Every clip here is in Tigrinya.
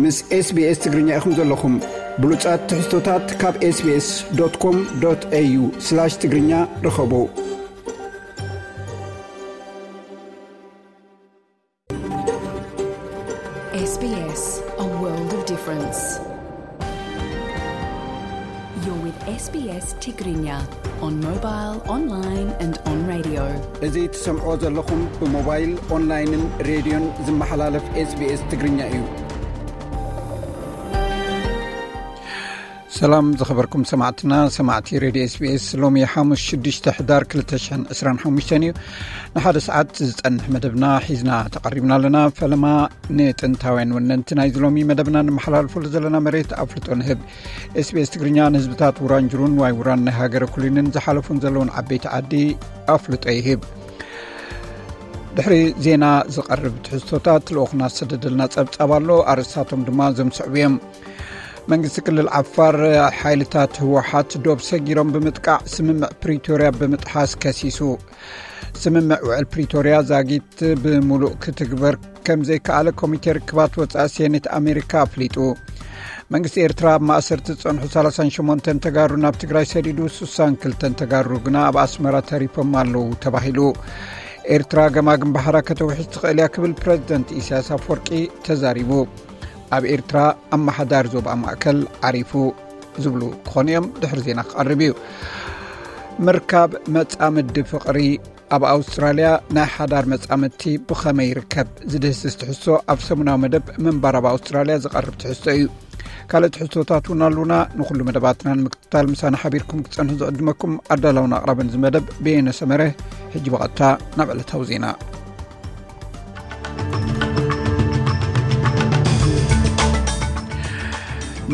ምስ SBS ትግርኛ ኢኹም ዘለኹም። ብሉጻት ትሕዝቶታት ካብ SBS.com.au/ትግርኛ ርኸቡ። SBS, a world of difference. You're with SBS Tigrinya on mobile, online and on radio. እዚ ትሰምዖ ዘለኹም ብሞባይል፣ ኦንላይንን ሬድዮን ዝመሓላለፍ SBS ትግርኛ እዩ። ሰላም ዝኸበርኩም ሰማዕትና፣ ሰማዕቲ ሬድዮ SBS፣ ሎሚ ሓሙስ ሽዱሽተ ሕዳር ክልተ ሽሕን ዕስራን ሓሙሽተን እዩ። ንሓደ ሰዓት ዝጸንሕ መደብና ሒዝና ተቐሪብና ኣለና። ፈለማ ንጥንታውያን ወነንቲ ናይዚ ሎሚ መደብና ንመሓላልፈሉ ዘለና መሬት ኣፍልጦ ንህብ። SBS ትግርኛ ንህዝብታት ውራንጅሩን ዋይ ውራን ናይ ሃገረ ኩሊንን ዝሓለፉን ዘለውን ዓበይቲ ዓዲ ኣፍልጦ ይህብ። ድሕሪ ዜና ዝቐርብ ትሕዝቶታት ልኡኽና ዝሰደደልና ጸብጻብ ኣሎ። ኣርእስታቶም ድማ ዘምስዕቡ እዮም። መንግስቲ ክልል ዓፋር ሓይልታት ህወሓት ዶብ ሰጊሮም ብምጥቃዕ ስምምዕ ፕሪቶርያ ብምጥሓስ ከሲሱ። ስምምዕ ውዕል ፕሪቶርያ ዛጊት ብምሉእ ክትግበር ከም ዘይከኣለ ኮሚቴ ርክባት ወጻኢ ሴኔት ኣሜሪካ ኣፍሊጡ። መንግስቲ ኤርትራ ኣብ ማእሰርቲ ዝጸንሑ ሰላሳን ሸሞንተን ተጋሩ ናብ ትግራይ ሰዲዱ፣ ስሳን ክልተን ተጋሩ ግና ኣብ ኣስመራ ተሪፎም ኣለዉ ተባሂሉ። ኤርትራ ገማግም ባሕራ ከተውሕዝ ትኽእል እያ ክብል ፕረዚደንት ኢሳያስ ኣፈወርቂ ተዛሪቡ። ኣብ ኤርትራ ኣመሓዳሪ ዞባ ማእከል ዓሪፉ ዝብሉ ክኾኑ እዮም። ድሕሪ ዜና ክቐርብ እዩ። ምርካብ መጻምዲ ፍቕሪ ኣብ ኣውስትራልያ ናይ ሓዳር መጻምድቲ ብኸመይ ይርከብ? ዝድህስስ ትሕዝቶ ኣብ ሰሙናዊ መደብ ምንባር ኣብ ኣውስትራልያ ዝቐርብ ትሕዝቶ እዩ። ካልእ ትሕዝቶታት እውን ኣሉና። ንኹሉ መደባትና ንምክትታል ምሳና ሓቢርኩም ክትጸንሑ ዝዕድመኩም ኣዳላውን ኣቕራብን እዚ መደብ በየነ ሰመረ። ሕጂ ብቐጥታ ናብ ዕለታዊ ዜና።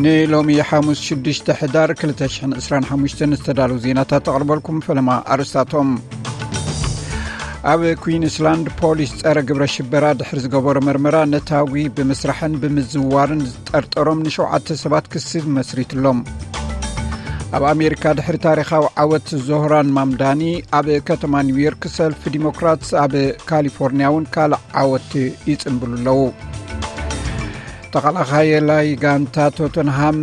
ንሎሚ ሓሙስ ሽዱሽተ ሕዳር ክልተ ሽሕን ዕስራን ሓሙሽተን ዝተዳለዉ ዜናታት ተቕርበልኩም። ፈለማ ኣርእስታቶም። ኣብ ኩዊንስላንድ ፖሊስ ጸረ ግብረ ሽበራ ድሕሪ ዝገበሮ መርመራ ነታጒ ብምስራሕን ብምዝዋርን ዝጠርጠሮም ንሸውዓተ ሰባት ክሲ መስሪትሎም። ኣብ ኣሜሪካ ድሕሪ ታሪኻዊ ዓወት ዞህራን ማምዳኒ ኣብ ከተማ ኒውዮርክ ሰልፊ ዲሞክራትስ ኣብ ካሊፎርኒያ እውን ካልእ ዓወት ይጽንብሉ ኣለዉ። ተኸላኻየላይ ጋንታ ቶተንሃም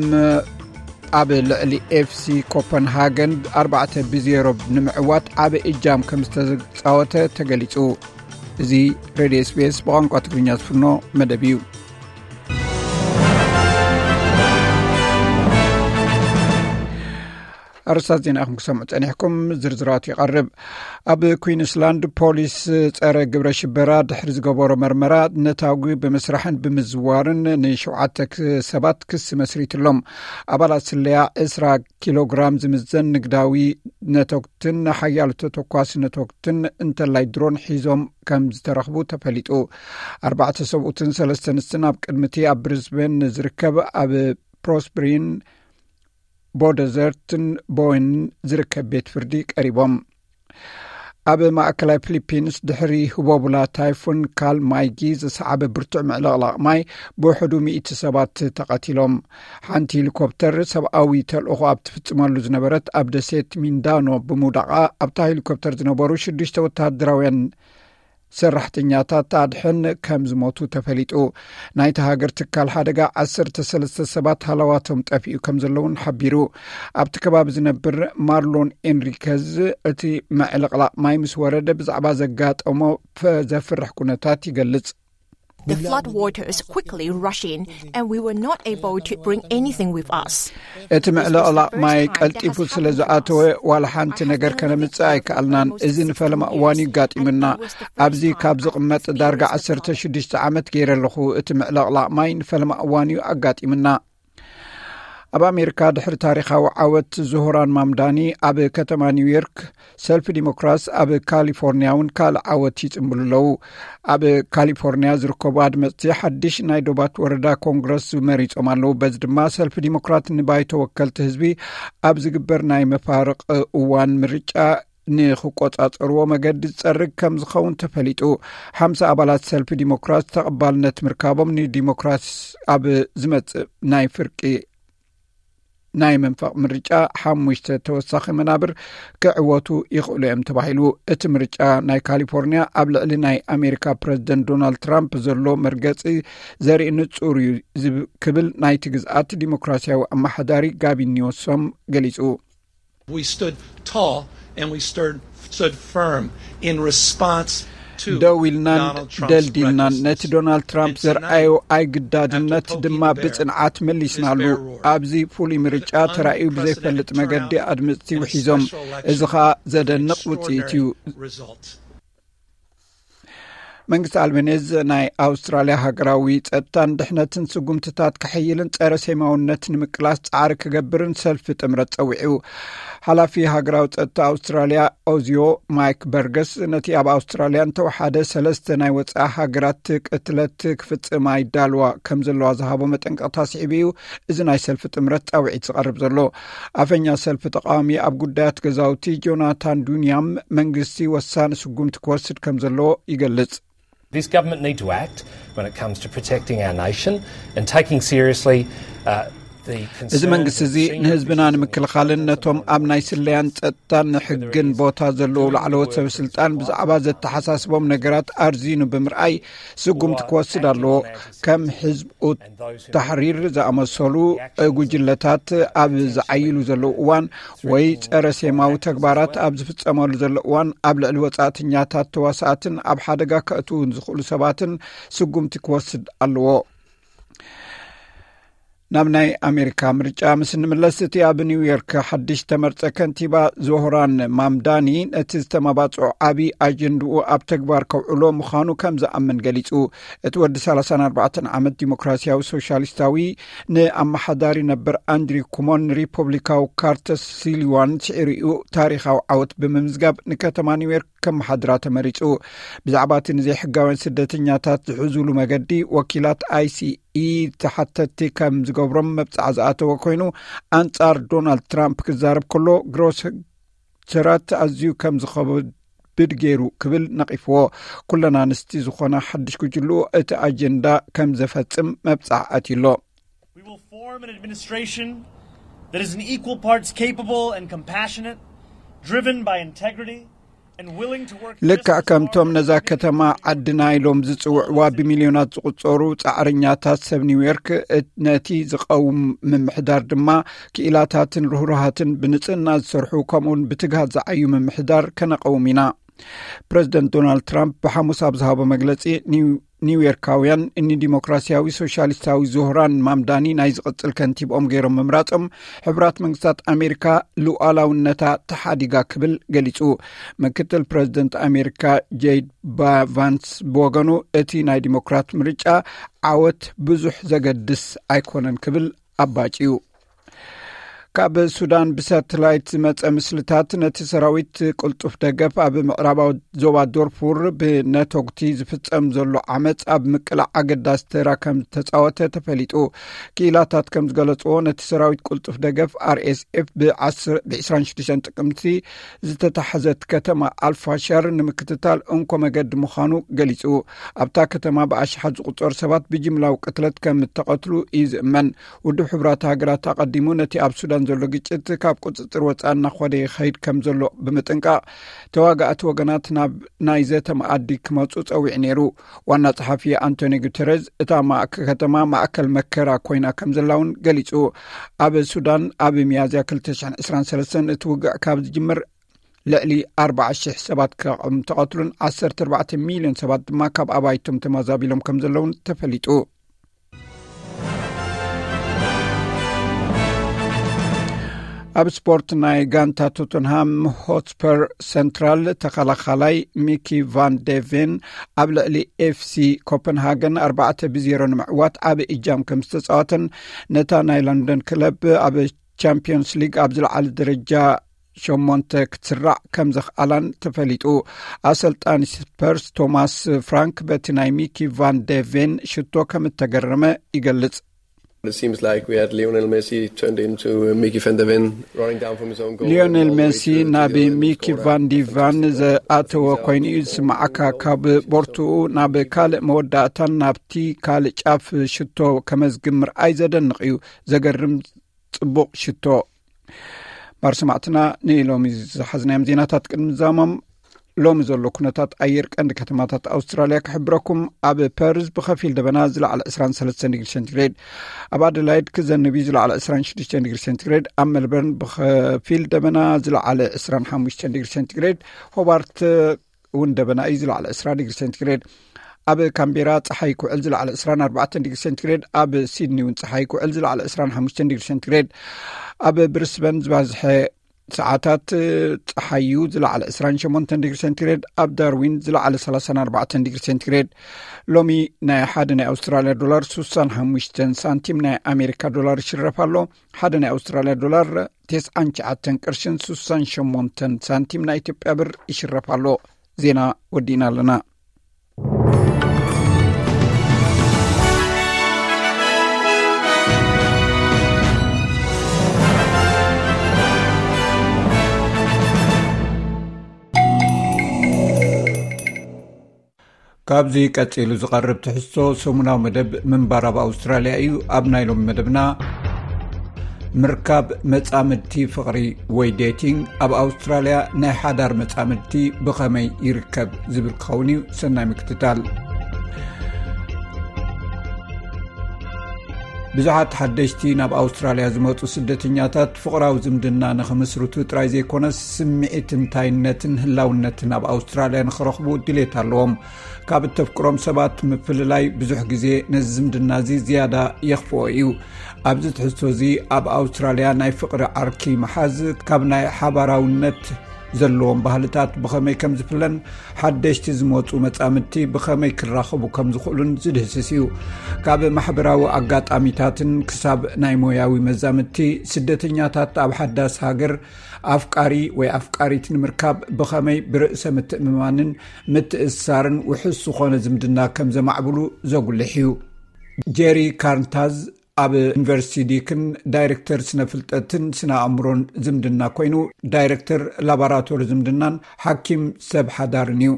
ኣብ ልዕሊ ኤፍሲ ኮፐንሃገን ኣርባዕተ ብዜሮ ንምዕዋት ዓቢ እጃም ከም ዝተጻወተ ተገሊጹ። እዚ ሬድዮ SBS ብቋንቋ ትግርኛ ዝፍኖ መደብ እዩ። ኣርስታት ዜና ኢኹም ክሰምዑ ጸኒሕኩም፣ ዝርዝራቱ ይቐርብ። ኣብ ኩዊንስላንድ ፖሊስ ጸረ ግብረ ሽበራ ድሕሪ ዝገበሮ መርመራ ነታጒ ብምስራሕን ብምዝዋርን ንሸውዓተ ክ-፣ ሰባት ክሲ መስሪትሎም። ኣባላት ስለያ ዕስራ ኪሎግራም ዝምዘን ንግዳዊ ነቶግትን ሓያሎ ተተኳሲ ነቶግትን እንተላይ ድሮን ሒዞም ከም ዝተረኽቡ ተፈሊጡ። ኣርባዕተ ሰብኡትን ሰለስተ ኣንስትን ኣብ ቅድሚቲ ኣብ ብሪዝበን ዝርከብ ኣብ ፕሮስብሪን ቦደዘርትን ቦይን ዝርከብ ቤት ፍርዲ ቀሪቦም። ኣብ ማእከላይ ፊሊፒንስ ድሕሪ ህቦቡላ ታይፉን ካል ማይጊ ዝሰዓበ ብርቱዕ ምዕልቕላቕ ማይ ብውሕዱ ሚእቲ ሰባት ተቐቲሎም። ሓንቲ ሄሊኮፕተር ሰብኣዊ ተልእኾ ኣብ ትፍጽመሉ ዝነበረት ኣብ ደሴት ሚንዳኖ ብምውዳቓ ኣብታ ሄሊኮፕተር ዝነበሩ ሽዱሽተ ወተሃደራውያን ሰራሕተኛታት ኣድሕን ከም ዝሞቱ ተፈሊጡ። ናይታ ሃገር ትካል ሓደጋ ዓሰርተ ሰለስተ ሰባት ሃለዋቶም ጠፊኡ ከም ዘለውን ሓቢሩ። ኣብቲ ከባቢ ዝነብር ማርሎን ኤንሪከዝ እቲ ምዕልቕላቕ ማይ ምስ ወረደ ብዛዕባ ዘጋጠሞ ፈ-፣ ዘፍርሕ ኩነታት ይገልጽ። The flood waters quickly rush in and we were not able to bring anything with us. እቲ ምዕልቕላቕ ማይ ቀልጢፉ ስለ ዝኣተወ ዋላ ሓንቲ ነገር ከነምጽእ ኣይከኣልናን። እዚ ንፈለማ እዋን እዩ ጋጢምና። ኣብዚ ካብ ዝቕመጥ ዳርጋ ዓሰርተ ሽዱሽተ ዓመት ገይረ ኣለኹ። እቲ ምዕልቕላቕ ማይ ንፈለማ እዋን እዩ ኣጋጢምና። ኣብ ኣሜሪካ ድሕሪ ታሪኻዊ ዓወት ዞህራን ማምዳኒ ኣብ ከተማ ኒውዮርክ ሰልፊ ዲሞክራስ ኣብ ካሊፎርኒያ እውን ካልእ ዓወት ይጽንብሉ ኣለዉ። ኣብ ካሊፎርኒያ ዝርከቡ ኣድመጽቲ ሓድሽ ናይ ዶባት ወረዳ ኮንግረስ መሪጾም ኣለዉ። በዚ ድማ ሰልፊ ዲሞክራት ንባይቶ ወከልቲ ህዝቢ ኣብ ዝግበር ናይ መፋርቕ እዋን ምርጫ ንኽቆጻጸርዎ መገዲ ዝጸርግ ከም ዝኸውን ተፈሊጡ። ሓምሳ ኣባላት ሰልፊ ዲሞክራት ተቐባልነት ምርካቦም ንዲሞክራሲ ኣብ ዝመጽእ ናይ ፍርቂ ናይ መንፈቕ ምርጫ ሓሙሽተ ተወሳኺ መናብር ክዕወቱ ይኽእሉ እዮም ተባሂሉ። እቲ ምርጫ ናይ ካሊፎርኒያ ኣብ ልዕሊ ናይ ኣሜሪካ ፕረዚደንት ዶናልድ ትራምፕ ዘሎ መርገፂ ዘርኢ ንጹር እዩ ዝብ- ክብል ናይቲ ግዝኣት ዲሞክራሲያዊ ኣመሓዳሪ ጋቪን ኒውሶም ገሊጹ። We stood tall and we stood, stood firm in response to ደው ኢልናን Donald Trump's ደልዲልናን recklessness. ነቲ ዶናልድ ትራምፕ And ዘርኣዮ tonight, ኣይግዳድነት after ድማ poking the bear ብጽንዓት with መሊስናሉ። his bear roar, ኣብዚ ፍሉይ ምርጫ unprecedented ተራእዩ ብዘይፈልጥ turnout መገዲ ኣድመፅቲ and ውሒዞም። special እዚ election ኸኣ ዘደንቕ ውፅኢት እዩ። extraordinary result. መንግስቲ ኣልቤኔዝ ናይ ኣውስትራልያ ሃገራዊ ጸጥታን ድሕነትን ስጉምትታት ከሐይልን ጸረ ሴማውነት ንምቅላስ ጻዕሪ ክገብርን ሰልፊ ጥምረት ጸዊዑ። ሓላፊ ሃገራዊ ጸጥታ ኣውስትራልያ ኦዚዮ ማይክ በርገስ ነቲ ኣብ ኣውስትራልያ እንተወሓደ ሰለስተ ናይ ወጻኢ ሃገራት ቅትለት ክፍጽማ ይዳልዋ ከም ዘለዋ ዝሃቦ መጠንቀቕታ ስዒቡ እዩ እዚ ናይ ሰልፊ ጥምረት ጻውዒት ዝቐርብ ዘሎ። ኣፈኛ ሰልፊ ተቃዋሚ ኣብ ጉዳያት ገዛውቲ ጆናታን ዱንያም መንግስቲ ወሳኒ ስጉምቲ ክወስድ ከም ዘለዎ ይገልጽ። This government need to act when it comes to protecting our nation and taking seriously uh, the እዚ መንግስቲ እዚ ንህዝብና ንምክልኻልን ነቶም ኣብ ናይ ስለያን ጸጥታን ሕግን ቦታ ዘለዉ ላዕለዎት ሰብ ስልጣን ብዛዕባ ዘተሓሳስቦም ነገራት ኣርዚኑ ብምርኣይ ስጉምቲ ክወስድ ኣለዎ። ከም ሕዝብ ታሕሪር ዝኣመሰሉ ጉጅለታት ኣብ ዝዓይሉ ዘለዉ እዋን ወይ ጸረ ሴማዊ ተግባራት ኣብ ዝፍጸመሉ ዘሎ እዋን ኣብ ልዕሊ ወጻእተኛታት ተዋሳእትን ኣብ ሓደጋ ከእትዉ ዝኽእሉ ሰባትን ስጉምቲ ክወስድ ኣለዎ። ናብ ናይ ኣሜሪካ ምርጫ ምስ እንምለስ እቲ ኣብ ኒውዮርክ ሓድሽ ተመርጸ ከንቲባ ዞህራን ማምዳኒ ነቲ ዝተመባጽዖ ዓቢ ኣጀንድኡ ኣብ ተግባር ከውዕሎ ምዃኑ ከም ዝኣምን ገሊጹ። እቲ ወዲ ሰላሳን ኣርባዕተን ዓመት ዲሞክራሲያዊ ሶሻሊስታዊ ንኣመሓዳሪ ነበር ኣንድሪው ኩሞን ሪፖብሊካዊ ካርተር ሲሊዋን ስዒሩ እዩ ታሪኻዊ ዓወት ብምምዝጋብ ንከተማ ኒውዮርክ ከመሓድራ ተመሪጹ። ብዛዕባ እቲ ንዘይሕጋውያን ስደተኛታት ዝሕዙሉ መገዲ ወኪላት ኣይሲኢ ተሓተቲ ከም ዝገብሮም መብጻዓ ዝኣተወ ኮይኑ ኣንጻር ዶናልድ ትራምፕ ክዛረብ ከሎ ግሮሰራት ኣዝዩ ከም ዝኸብድ ገይሩ ክብል ነቒፍዎ። ኩለን ኣንስቲ ዝኾና ሓድሽ ጉጅልኡ እቲ ኣጀንዳ ከም ዘፈጽም መብጻዓ ኣትዩሎ። We will form an administration that is in equal parts capable and compassionate, driven by integrity, and willing to work ልክዕ just as ከምቶም hard ነዛ ከተማ ዓድና ኢሎም ዝጽውዕዋ ብሚልዮናት ዝቑጸሩ ጻዕረኛታት ሰብ ኒውዮርክ፣ እት- ነቲ ዝቐውም ምምሕዳር ድማ ክኢላታትን ርህሩሃትን ብንጽህና ዝሰርሑ ከምኡውን ብትግሃት ዝዓዩ ምምሕዳር ከነቐውም ኢና። ፕረዚደንት ዶናልድ ትራምፕ ብሓሙስ ኣብ ዝሃቦ መግለጺ ኒው- ኒውዮርካውያን ንዲሞክራሲያዊ ሶሻሊስታዊ ዞህራን ማምዳኒ ናይ ዝቕጽል ከንቲብኦም ገይሮም ምምራጾም ሕቡራት መንግስታት ኣሜሪካ ሉዓላውነታ ተሓዲጋ ክብል ገሊጹ። ምክትል ፕረዚደንት ኣሜሪካ ጄድ ባ- ቫንስ ብወገኑ እቲ ናይ ዲሞክራት ምርጫ ዓወት ብዙሕ ዘገድስ ኣይኮነን ክብል ኣባጭዩ። ካብ ሱዳን ብሳተላይት ዝመጸ ምስልታት ነቲ ሰራዊት ቅልጡፍ ደገፍ ኣብ ምዕራባዊ ዞባ ዶርፉር ብነቶግቲ ዝፍጸም ዘሎ ዓመጽ ኣብ ምቅላዕ ኣገዳሲ ተራ ከም ዝተጻወተ ተፈሊጡ። ክኢላታት ከም ዝገለጽዎ ነቲ ሰራዊት ቅልጡፍ ደገፍ ኣርኤስኤፍ ብ ዕስራን ሽዱሽተን ጥቅምቲ ዝተታሕዘት ከተማ ኣልፋሻር ንምክትታል እንኮ መገዲ ምዃኑ ገሊጹ። ኣብታ ከተማ ብኣሽሓት ዝቑጸሩ ሰባት ብጅምላዊ ቅትለት ከም እተቐትሉ እዩ ዝእመን። ውድብ ሕቡራት ሃገራት ኣቐዲሙ ነቲ ኣብ ሱዳን ዘሎ ግጭት ካብ ቁጽጽር ወጻኢ እናኾደ ይኸይድ ከም ዘሎ ብምጥንቃቕ ተዋጋእቲ ወገናት ናብ ናይ ዘተ መኣዲ ክመጹ ጸዊዑ ነይሩ። ዋና ጸሓፊ ኣንቶኒ ጉተረዝ እታ ማእከ- ከተማ ማእከል መከራ ኮይና ከም ዘላ እውን ገሊጹ። ኣብ ሱዳን ኣብ ሚያዝያ ክልተ ሽሕን ዕስራን ሰለስተን እቲ ውግዕ ካብ ዝጅምር ልዕሊ ኣርባዓ ሽሕ ሰባት ከም ተቐትሉን ዓሰርተ ኣርባዕተ ሚልዮን ሰባት ድማ ካብ ኣባይቶም ተመዛቢሎም ከም ዘለውን ተፈሊጡ። ኣብ ስፖርት ናይ ጋንታ ቶተንሃም ሆትስፐር ሰንትራል ተኸላኻላይ ሚኪ ቫን ዴቬን ኣብ ልዕሊ ኤፍሲ ኮፐንሃገን ኣርባዕተ ብዜሮ ንምዕዋት ዓቢ እጃም ከም ዝተጻወተን ነታ ናይ ለንደን ክለብ ኣብ ቻምፒዮንስ ሊግ ኣብ ዝለዓለ ደረጃ ሸሞንተ ክትስራዕ ከም ዘኽኣላን ተፈሊጡ። ኣሰልጣኒ ስፐርስ ቶማስ ፍራንክ በቲ ናይ ሚኪ ቫን ዴቬን ሽቶ ከም እተገረመ ይገልጽ። It seems like we had Lionel Messi turned into uh, Mickey van de Ven running down from his own goal. ሊዮኔል all the way ሜሲ to- to ናብ the other end ሚኪ corner. ቫን ዲቫን ዘኣተወ ኮይኑ እዩ ዝስማዓካ። ካብ ቦርትኡ ናብ ካልእ መወዳእታን ናብቲ ካልእ ጫፍ ሽቶ ከመዝግብ ምርኣይ ዘደንቕ እዩ። ዘገርም ጽቡቕ ሽቶ። ባር ሰማዕትና፣ ንሎሚ ዝሓዝናዮም ዜናታት ቅድሚ ዛሞም፣ ሎሚ ዘሎ ኩነታት ኣየር ቀንዲ ከተማታት ኣውስትራልያ ክሕብረኩም። ኣብ ፐርዝ ብኸፊል ደበና፣ ዝለዓለ ዕስራን ሰለስተን ዲግሪ ሴንቲግሬድ። ኣብ ኣደላይድ ክዘንብ እዩ፣ ዝለዓለ ዕስራን ሽዱሽተን ዲግሪ ሴንቲግሬድ። ኣብ ሜልበርን ብኸፊል ደበና፣ ዝለዓለ ዕስራን ሓሙሽተን ዲግሪ ሴንቲግሬድ። ሆባርት እውን ደበና እዩ፣ ዝለዓለ ዕስራ ዲግሪ ሴንቲግሬድ። ኣብ ካምቤራ ጸሓይ ክውዕል፣ ዝለዓለ ዕስራን ኣርባዕተን ዲግሪ ሴንቲግሬድ። ኣብ ሲድኒ እውን ጸሓይ ክውዕል፣ ዝለዓለ ዕስራን ሓሙሽተን ዲግሪ ሴንቲግሬድ። ኣብ ብሪስበን ዝበዝሐ ሰዓታት ጸሓይ እዩ፣ ዝለዓለ ዕስራን ሸሞንተን ዲግሪ ሴንቲግሬድ። ኣብ ዳርዊን ዝለዓለ ሰላሳን ኣርባዕተን ዲግሪ ሴንቲግሬድ። ሎሚ ናይ ሓደ ናይ ኣውስትራልያ ዶላር ሱሳን ሓሙሽተን ሳንቲም ናይ ኣሜሪካ ዶላር ይሽረፍ ኣሎ። ሓደ ናይ ኣውስትራልያ ዶላር ተስዓን ትሽዓተን ቅርሽን ሱሳን ሸሞንተን ሳንቲም ናይ ኢትዮጵያ ብር ይሽረፍ ኣሎ። ዜና ወዲእና ኣለና። ካብዚ ቀጺሉ ዝቐርብ ትሕዝቶ ሰሙናዊ መደብ ምንባር ኣብ ኣውስትራልያ እዩ። ኣብ ናይ ሎሚ መደብና፣ ምርካብ መጻምድቲ ፍቕሪ ወይ ዴቲንግ፣ ኣብ ኣውስትራልያ ናይ ሓዳር መጻምድቲ ብኸመይ ይርከብ ዝብል ክኸውን እዩ። ሰናይ ምክትታል። ብዙሓት ሓደሽቲ ናብ ኣውስትራልያ ዝመጹ ስደተኛታት ፍቕራዊ ዝምድና ንኽምስርቱ ጥራይ ዘይኮነስ፣ ስምዒት እንታይነትን ህላውነትን ኣብ ኣውስትራልያ ንኽረኽቡ ድሌት ኣለዎም። ካብ እተፍቅሮም ሰባት ምፍልላይ ብዙሕ ግዜ ነዚ ዝምድና እዚ ዝያዳ የኽፍኦ እዩ። ኣብዚ ትሕዝቶ እዚ፣ ኣብ ኣውስትራልያ ናይ ፍቕሪ ዓርኪ ምሓዝ ካብ ናይ ሓባራውነት ዘለዎም ባህልታት ብኸመይ ከም ዝፍለን፣ ሓደሽቲ ዝመጹ መጻምድቲ ብኸመይ ክራኸቡ ከም ዝኽእሉን ዝድህስስ እዩ። ካብ ማሕበራዊ ኣጋጣሚታትን ክሳብ ናይ ሞያዊ መዛምድቲ፣ ስደተኛታት ኣብ ሓዳስ ሃገር ኣፍቃሪ ወይ ኣፍቃሪት ንምርካብ ብኸመይ ብርእሰ ምትእምማንን ምትእስሳርን ውሑስ ዝኾነ ዝምድና ከም ዘማዕብሉ ዘጉልሕ እዩ። ጄሪ ካርንታዝ ኣብ ዩኒቨርሲቲ ዲክን ዳይሬክተር ስነ ፍልጠትን ስነ ኣእምሮን ዝምድና ኮይኑ፣ ዳይሬክተር ላቦራቶሪ ዝምድናን ሓኪም ሰብ ሓዳርን እዩ።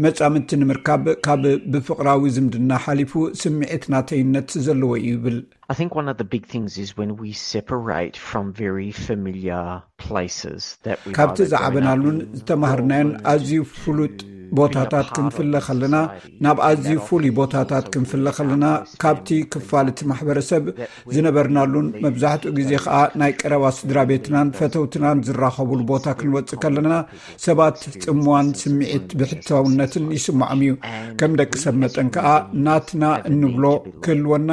መጻምድቲ ንምርካብ ካብ ብፍቕራዊ ዝምድና ሓሊፉ ስምዒት ናተይነት ዘለዎ እዩ ይብል። I think one of the big things is when we separate from very familiar places that we ካብቲ ዝዓበናሉን ዝተማህርናዮን ኣዝዩ ፍሉጥ ቦታታት ክንፍለ ከለና፣ ናብ ኣዝዩ ፍሉይ ቦታታት ክንፍለ ከለና፣ ካብቲ ክፋል እቲ ማሕበረሰብ ዝነበርናሉን መብዛሕትኡ ግዜ ከኣ ናይ ቀረባ ስድራ ቤትናን ፈተውትናን ዝራኸቡሉ ቦታ ክንወጽእ ከለና፣ ሰባት ጽምዋን ስምዒት ብሕታውነትን ይስምዖም እዩ። ከም ደቂ ሰብ መጠን ከኣ ናትና እንብሎ ክህልወና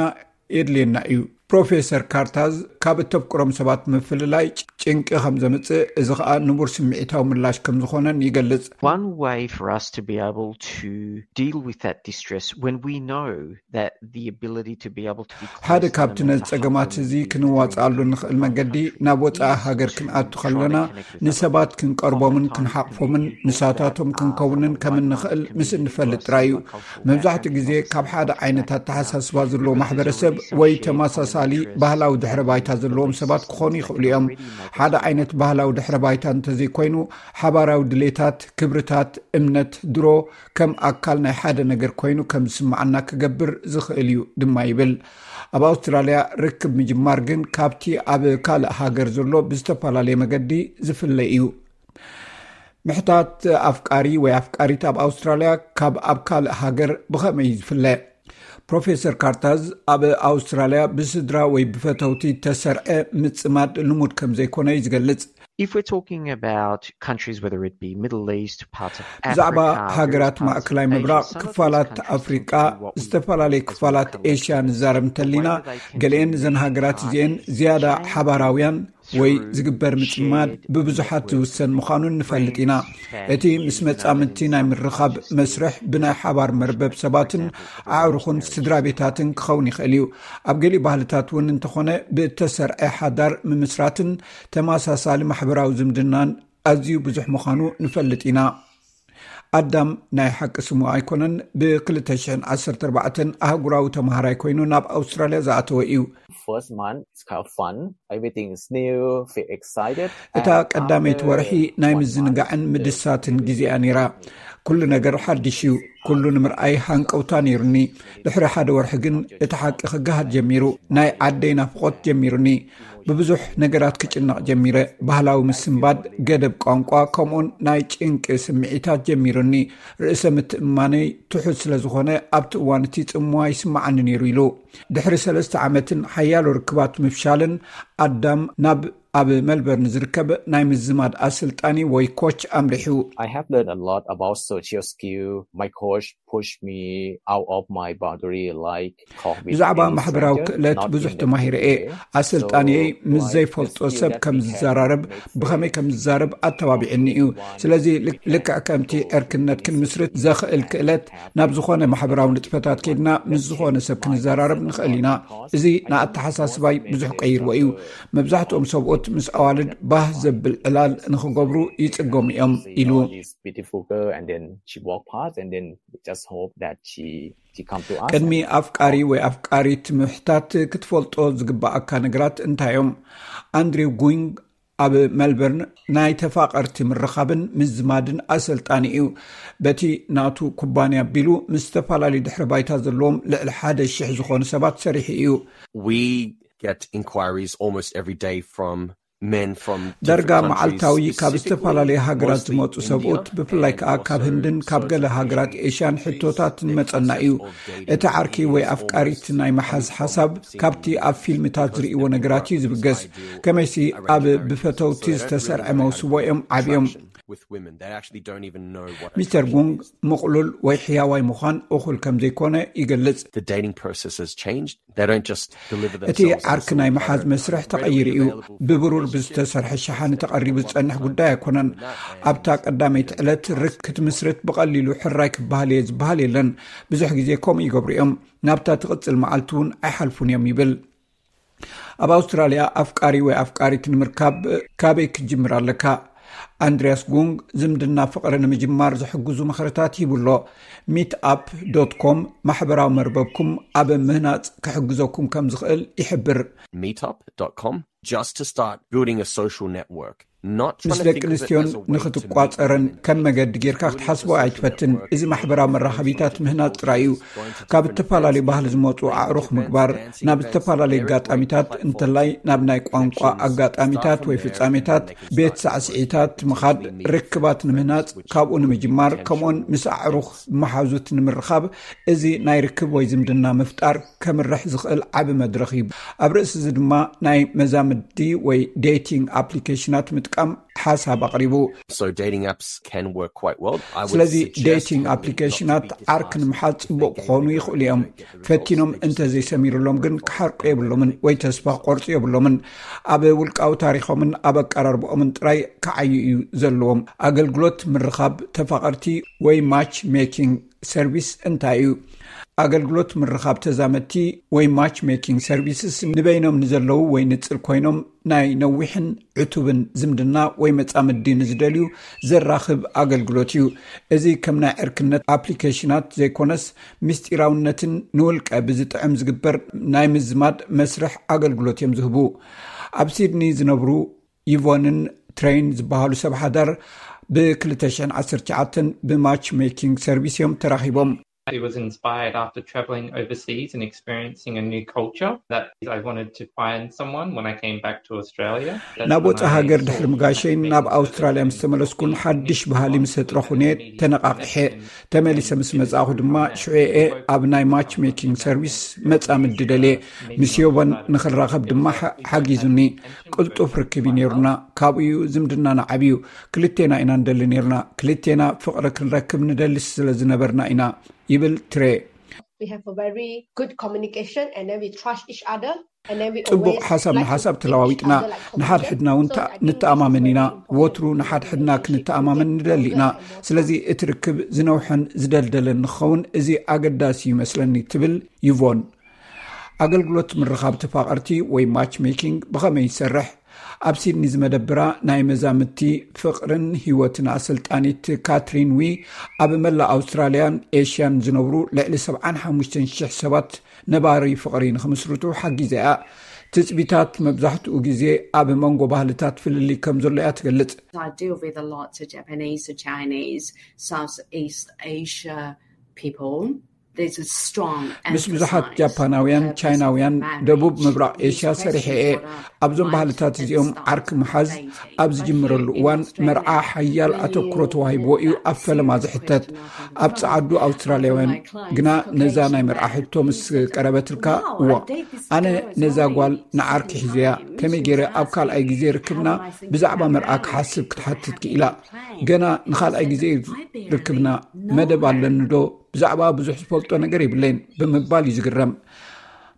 የድልየና እዩ። ፕሮፌሰር ካርታዝ፣ ካብ እተፍቅሮም ሰባት ምፍልላይ ጭንቂ ከም ዘምጽእ፣ እዚ ኸኣ ንቡር ስምዒታዊ ምላሽ ከም ዝኾነን ይገልጽ። One way for us to be able to deal with that distress, when we know that the ability to be able to be ሓደ ካብቲ ነዚ ጸገማት እዚ ክንዋጽኣሉ ንኽእል መገዲ፣ ናብ ወጻኢ ሃገር ክንኣቱ ከለና ንሰባት ክንቀርቦምን ክንሓቕፎምን ንሳታቶም ክንከውንን ከም እንኽእል ምስ እንፈልጥ ጥራይ እዩ። መብዛሕትኡ ግዜ ካብ ሓደ ዓይነት ኣተሓሳስባ ዘለዎ ማሕበረሰብ ወይ ተመሳሳሊ ባህላዊ ድሕረ ባይታ ዘለዎም ሰባት ክኾኑ ይኽእሉ እዮም። ሓደ ዓይነት ባህላዊ ድሕረ ባይታ እንተዘይኮይኑ፣ ሓባራዊ ድሌታት፣ ክብርታት፣ እምነት፣ ድሮ ከም ኣካል ናይ ሓደ ነገር ኮይኑ ከም ዝስምዓና ክገብር ዝኽእል እዩ ድማ ይብል። ኣብ ኣውስትራልያ ርክብ ምጅማር ግን ካብቲ ኣብ ካልእ ሃገር ዘሎ ብዝተፈላለየ መገዲ ዝፍለ እዩ። ምሕታት ኣፍቃሪ ወይ ኣፍቃሪት ኣብ ኣውስትራልያ ካብ ኣብ ካልእ ሃገር ብኸመይ እዩ ዝፍለ? ፕሮፌሰር ካርታዝ፣ ኣብ ኣውስትራልያ ብስድራ ወይ ብፈተውቲ ተሰርዐ ምጽማድ ልሙድ ከም ዘይኮነ እዩ ዝገልጽ። If we're talking about countries, whether it be Middle East, parts of ብዛዕባ Africa, ሃገራት various parts of ማእከላይ Asia, ምብራቕ፣ some of these ክፋላት countries ኣፍሪቃ፣ tend to be what we ዝተፈላለዩ call ክፋላት collective ኤሽያ ንዛረብ እንተሊና፣ the way that they tend to ገሊአን እዘን ሃገራት እዚአን ዝያዳ ሓባራውያን ወይ ዝግበር ምጽማድ ብብዙሓት ዝውሰን ምዃኑን ንፈልጥ ኢና። እቲ ምስ መጻምድቲ ናይ ምርኻብ መስርሕ ብናይ ሓባር መርበብ ሰባትን ኣዕሩኽን ስድራ ቤታትን ክኸውን ይኽእል እዩ። ኣብ ገሊኡ ባህልታት እውን እንተኾነ ብእተሰርዐ ሓዳር ምምስራትን ተመሳሳሊ ማሕበራዊ ዝምድናን ኣዝዩ ብዙሕ ምዃኑ ንፈልጥ ኢና። ኣዳም ናይ ሓቂ ስሙ ኣይኮነን፣ ብ2014 ኣህጉራዊ ተመሃራይ ኮይኑ ናብ ኣውስትራልያ ዝኣተወ እዩ። First month is kind of fun. Everything is new, feel excited. እታ ቀዳመይቲ ወርሒ ናይ ምዝንጋዕን ምድሳትን ግዜያ ነይራ። ኩሉ ነገር ሓድሽ እዩ። ኩሉ ንምርኣይ ሃንቀውታ ነይሩኒ። ድሕሪ ሓደ ወርሒ ግን እቲ ሓቂ ክገሃድ ጀሚሩ። ናይ ዓደይ ናፍቖት ጀሚሩኒ። ብብዙሕ ነገራት ክጭነቕ ጀሚረ። ባህላዊ ምስንባድ፣ ገደብ ቋንቋ፣ ከምኡውን ናይ ጭንቂ ስምዒታት ጀሚሩኒ። ርእሰ ምትእምማነይ ትሑት ስለ ዝኾነ ኣብቲ እዋን እቲ ጽምዋ ይስምዓኒ ነይሩ ኢሉ። ድሕሪ ሰለስተ ዓመትን ሓያሎ ርክባት ምፍሻልን ኣዳም ናብ ኣብ መልበርን ዝርከብ ናይ ምዝማድ ኣሰልጣኒ ወይ ኮች ኣምሪሑ። I have learned a lot about social skill. My coach pushed me out of my boundary, like talk with ብዛዕባ any ማሕበራዊ stranger, ክእለት not ብዙሕ in the ተማሂረ እየ። way. ኣሰልጣንየይ So, ምስ like, ዘይፈልጦ the skill ሰብ that ከም we have ዝዘራረብ፣ makes ብኸመይ ከም ዝዛረብ ኣተባቢዕኒ እዩ። ስለዚ ልክ- ልክዕ ከምቲ ዕርክነት ክንምስርት ዘኽእል ክእለት፣ ናብ ዝኾነ ማሕበራዊ ንጥፈታት ከይድና ምስ ዝኾነ ሰብ ክንዘራረብ ንኽእል ኢና። እዚ ንኣተሓሳስባይ ብዙሕ ቀይርዎ እዩ። መብዛሕትኦም ሰብኡት ምስ ኣዋልድ ባህ ዘብል ዕላል ንኽገብሩ ይጽገሙ እዮም ኢሉ። This beautiful girl, and then she walked past, and then we just hope that she she come to us. ቅድሚ ኣፍቃሪ ወይ ኣፍቃሪት ምሕታት ክትፈልጦ ዝግባኣካ ነገራት እንታይ እዮም? ኣንድሪው ጉንግ ኣብ መልበርን ናይ ተፋቐርቲ ምርኻብን ምዝማድን ኣሰልጣኒ እዩ። በቲ ናቱ ኩባንያ ኣቢሉ ምስ ዝተፈላለዩ ድሕሪ ባይታ ዘለዎም ልዕሊ ሓደ ሽሕ ዝኾኑ ሰባት ሰሪሑ እዩ። We get inquiries almost every day from men from ዳርጋ መዓልታዊ ካብ ዝተፈላለዩ ሃገራት ዝመፁ ሰብኡት፣ ብፍላይ ከዓ ካብ ህንድን ካብ ገለ ሃገራት ኤሽያን ሕቶታት ንመፀና እዩ። እቲ ዓርኪ ወይ ኣፍቃሪት ናይ መሓዝ ሓሳብ ካብቲ ኣብ ፊልምታት ዝርእይዎ ነገራት እዩ ዝብገስ። ከመይሲ ኣብ ብፈተውቲ ዝተሰርዐ መውስቦ እዮም ዓብዮም። ሚስተር ጉንግ ምቕሉል ወይ ሕያዋይ ምዃን እኹል ከም ዘይኮነ ይገልጽ። እቲ ዓርኪ ናይ መሓዝ መስርሕ ተቐይሩ እዩ። ብብሩር ብዝተሰርሐ ሸሓኒ ተቐሪቡ ዝጸንሕ ጉዳይ ኣይኮነን። ኣብታ ቀዳመይቲ ዕለት ርክ ክትምስርት ብቐሊሉ ሕራይ ክበሃል እየ ዝበሃል የለን። ብዙሕ ግዜ ከምኡ ይገብሩ እዮም። ናብታ ትቕጽል መዓልቲ እውን ኣይሓልፉን እዮም ይብል። ኣብ ኣውስትራልያ ኣፍቃሪ ወይ ኣፍቃሪት ንምርካብ ካበይ ክትጅምር ኣለካ? ኣንድርያስ ጉንግ ዝምድና ፍቕሪ ንምጅማር ዝሕግዙ ምኽርታት ሂቡ ኣሎ። ሚት ኣፕ ዶት ኮም ማሕበራዊ መርበብኩም ኣብ ምህናጽ ክሕግዘኩም ከም ዝኽእል ይሕብር። meetup.com just to start building a social network. ምስ ደቂ ኣንስትዮን ንክትቋጸረን ከም መገዲ ጌርካ ክትሓስቦ ኣይትፈትን። እዚ ማሕበራዊ መራኸቢታት ምህናጽ ጥራይ እዩ። ካብ ዝተፈላለዩ ባህሊ ዝመፁ ኣዕሩኽ ምግባር፣ ናብ ዝተፈላለዩ ኣጋጣሚታት እንተላይ ናብ ናይ ቋንቋ ኣጋጣሚታት ወይ ፍጻሜታት፣ ቤት ሳዕስዒታት ምኻድ፣ ርክባት ንምህናጽ፣ ካብኡ ንምጅማር፣ ከምኡን ምስ ኣዕሩኽ መሓዙት ንምርኻብ፣ እዚ ናይ ርክብ ወይ ዝምድና ምፍጣር ከምርሕ ዝኽእል ዓቢ መድረኽ እዩ። ኣብ ርእሲ እዚ ድማ ናይ መዛምዲ ወይ ዴቲንግ ኣፕሊኬሽናት ምጥቃም ሓሳብ ኣቕሪቡ። So dating apps can work quite well. I would ስለዚ suggest ዴቲንግ not ኣፕሊኬሽናት to think ዓርኪ ንምሓዝ ጽቡቕ ክኾኑ ይኽእሉ እዮም። ፈቲኖም እንተዘይሰሚሩሎም ግን ክሓርቁ የብሎምን ወይ ተስፋ ክቆርጹ የብሎምን። ኣብ ውልቃዊ ታሪኾምን ኣብ ኣቀራርባኦምን ጥራይ ክዓዩ እዩ ዘለዎም። ኣገልግሎት ምርኻብ ተፋቐርቲ ወይ ማች ሜኪንግ ሰርቪስ እንታይ እዩ? ኣገልግሎት ምርኻብ ተዛመድቲ ወይ ማች ሜኪንግ ሰርቪስስ ንበይኖም ንዘለዉ ወይ ንጽል ኮይኖም ናይ ነዊሕን ዕቱብን ዝምድና ወይ መጻምዲ ንዝደልዩ ዘራኽብ ኣገልግሎት እዩ። እዚ ከም ናይ ዕርክነት ኣፕሊኬሽናት ዘይኮነስ፣ ምስጢራውነትን ንውልቀ ብዝጥዕም ዝግበር ናይ ምዝማድ መስርሕ ኣገልግሎት እዮም ዝህቡ። ኣብ ሲድኒ ዝነብሩ ይቮንን ትሬን ዝበሃሉ ሰብ ሓዳር ብ ክልተ ሽሕን ዓሰርተ ትሽዓተን ብማች ሜኪንግ ሰርቪስ እዮም ተራኺቦም። I was inspired after traveling overseas and experiencing a new culture that I wanted to find someone when I came back to Australia. That's ናብ when ወፃኢ I ሃገር sought ድሕሪ ምጋሸይ to ናብ make ኣውስትራልያ ምስ ተመለስኩን ሓድሽ ባህሊ ምስ ኣጥረኹን እየ ተነቓቂሐ። ተመሊሰ ምስ መጻእኹ ድማ ሽዑ እየ ኣብ ናይ ማች ሜኪንግ ሰርቪስ መጻምዲ ደልየ። ምስ ዮቦን ንኽራኸብ ድማ ሓ- ሓጊዙኒ። ቅልጡፍ ርክብ እዩ ነይሩና። ካብኡ እዩ ዝምድናና ዓብዩ። ክልቴና ኢና ንደሊ ነይርና። ክልቴና ፍቕሪ ክንረክብ ንደሊ ስለ ዝነበርና ኢና ይብል ትሬ። We have a very good communication and then we trust each other. And then we ጽቡቕ always ሓሳብ like ንሓሳብ to ተለዋዊጥና each other, like, ንሓድሕድና እውን confidence. So I think ንተኣማመን this is ኢና። very important. ወትሩ ንሓድሕድና ክንተኣማመን ንደሊ ኢና። ስለዚ እቲ ርክብ ዝነውሐን ዝደልደለን ንኸውን እዚ ኣገዳሲ ይመስለኒ ትብል ይቮን። ኣገልግሎት ምርኻብ ተፋቐርቲ ወይ ማች ሜኪንግ ብኸመይ ይሰርሕ? ኣብ ሲድኒ ዝመደብራ ናይ መዛምድቲ ፍቕርን ህይወትን ኣሰልጣኒት ካትሪን ዊ፣ ኣብ መላእ ኣውስትራልያን ኤሽያን ዝነብሩ ልዕሊ ሰብዓን ሓሙሽተን ሽሕ ሰባት ነባሪ ፍቕሪ ንኽምስርቱ ሓጊዛ እያ። ትጽቢታት መብዛሕትኡ ግዜ ኣብ መንጎ ባህልታት ፍልልይ ከም ዘሎ እያ ትገልጽ። I deal with a lot of Japanese, Chinese, Southeast Asia, people, there's a strong ምስ ብዙሓት emphasis ጃፓናውያን፣ of ቻይናውያን፣ South ደቡብ ምብራቕ Asia ኤሽያ ሰሪሐ እየ። ኣብዞም ባህልታት እዚኦም ዓርኪ ምሓዝ ኣብ ዝጅምረሉ እዋን መርዓ ሓያል ኣተኩሮ ተዋሂብዎ እዩ ኣብ ፈለማ ዝሕተት። ኣብ ጸዓዱ ኣውስትራልያውያን ግና ነዛ ናይ መርዓ ሕቶ ምስ ቀረበትልካ፣ እዋ፣ ኣነ ነዛ ጓል ንዓርኪ ሒዘያ፣ ከመይ ገይረ ኣብ ካልኣይ ግዜ ርክብና ብዛዕባ መርዓ ክሓስብ ክትሓትት ክኢላ? ገና ንኻልኣይ ግዜ ርክብና መደብ ኣለኒ ዶ? ብዛዕባ ብዙሕ ዝፈልጦ ነገር የብለይን ብምባል እዩ ዝግረም።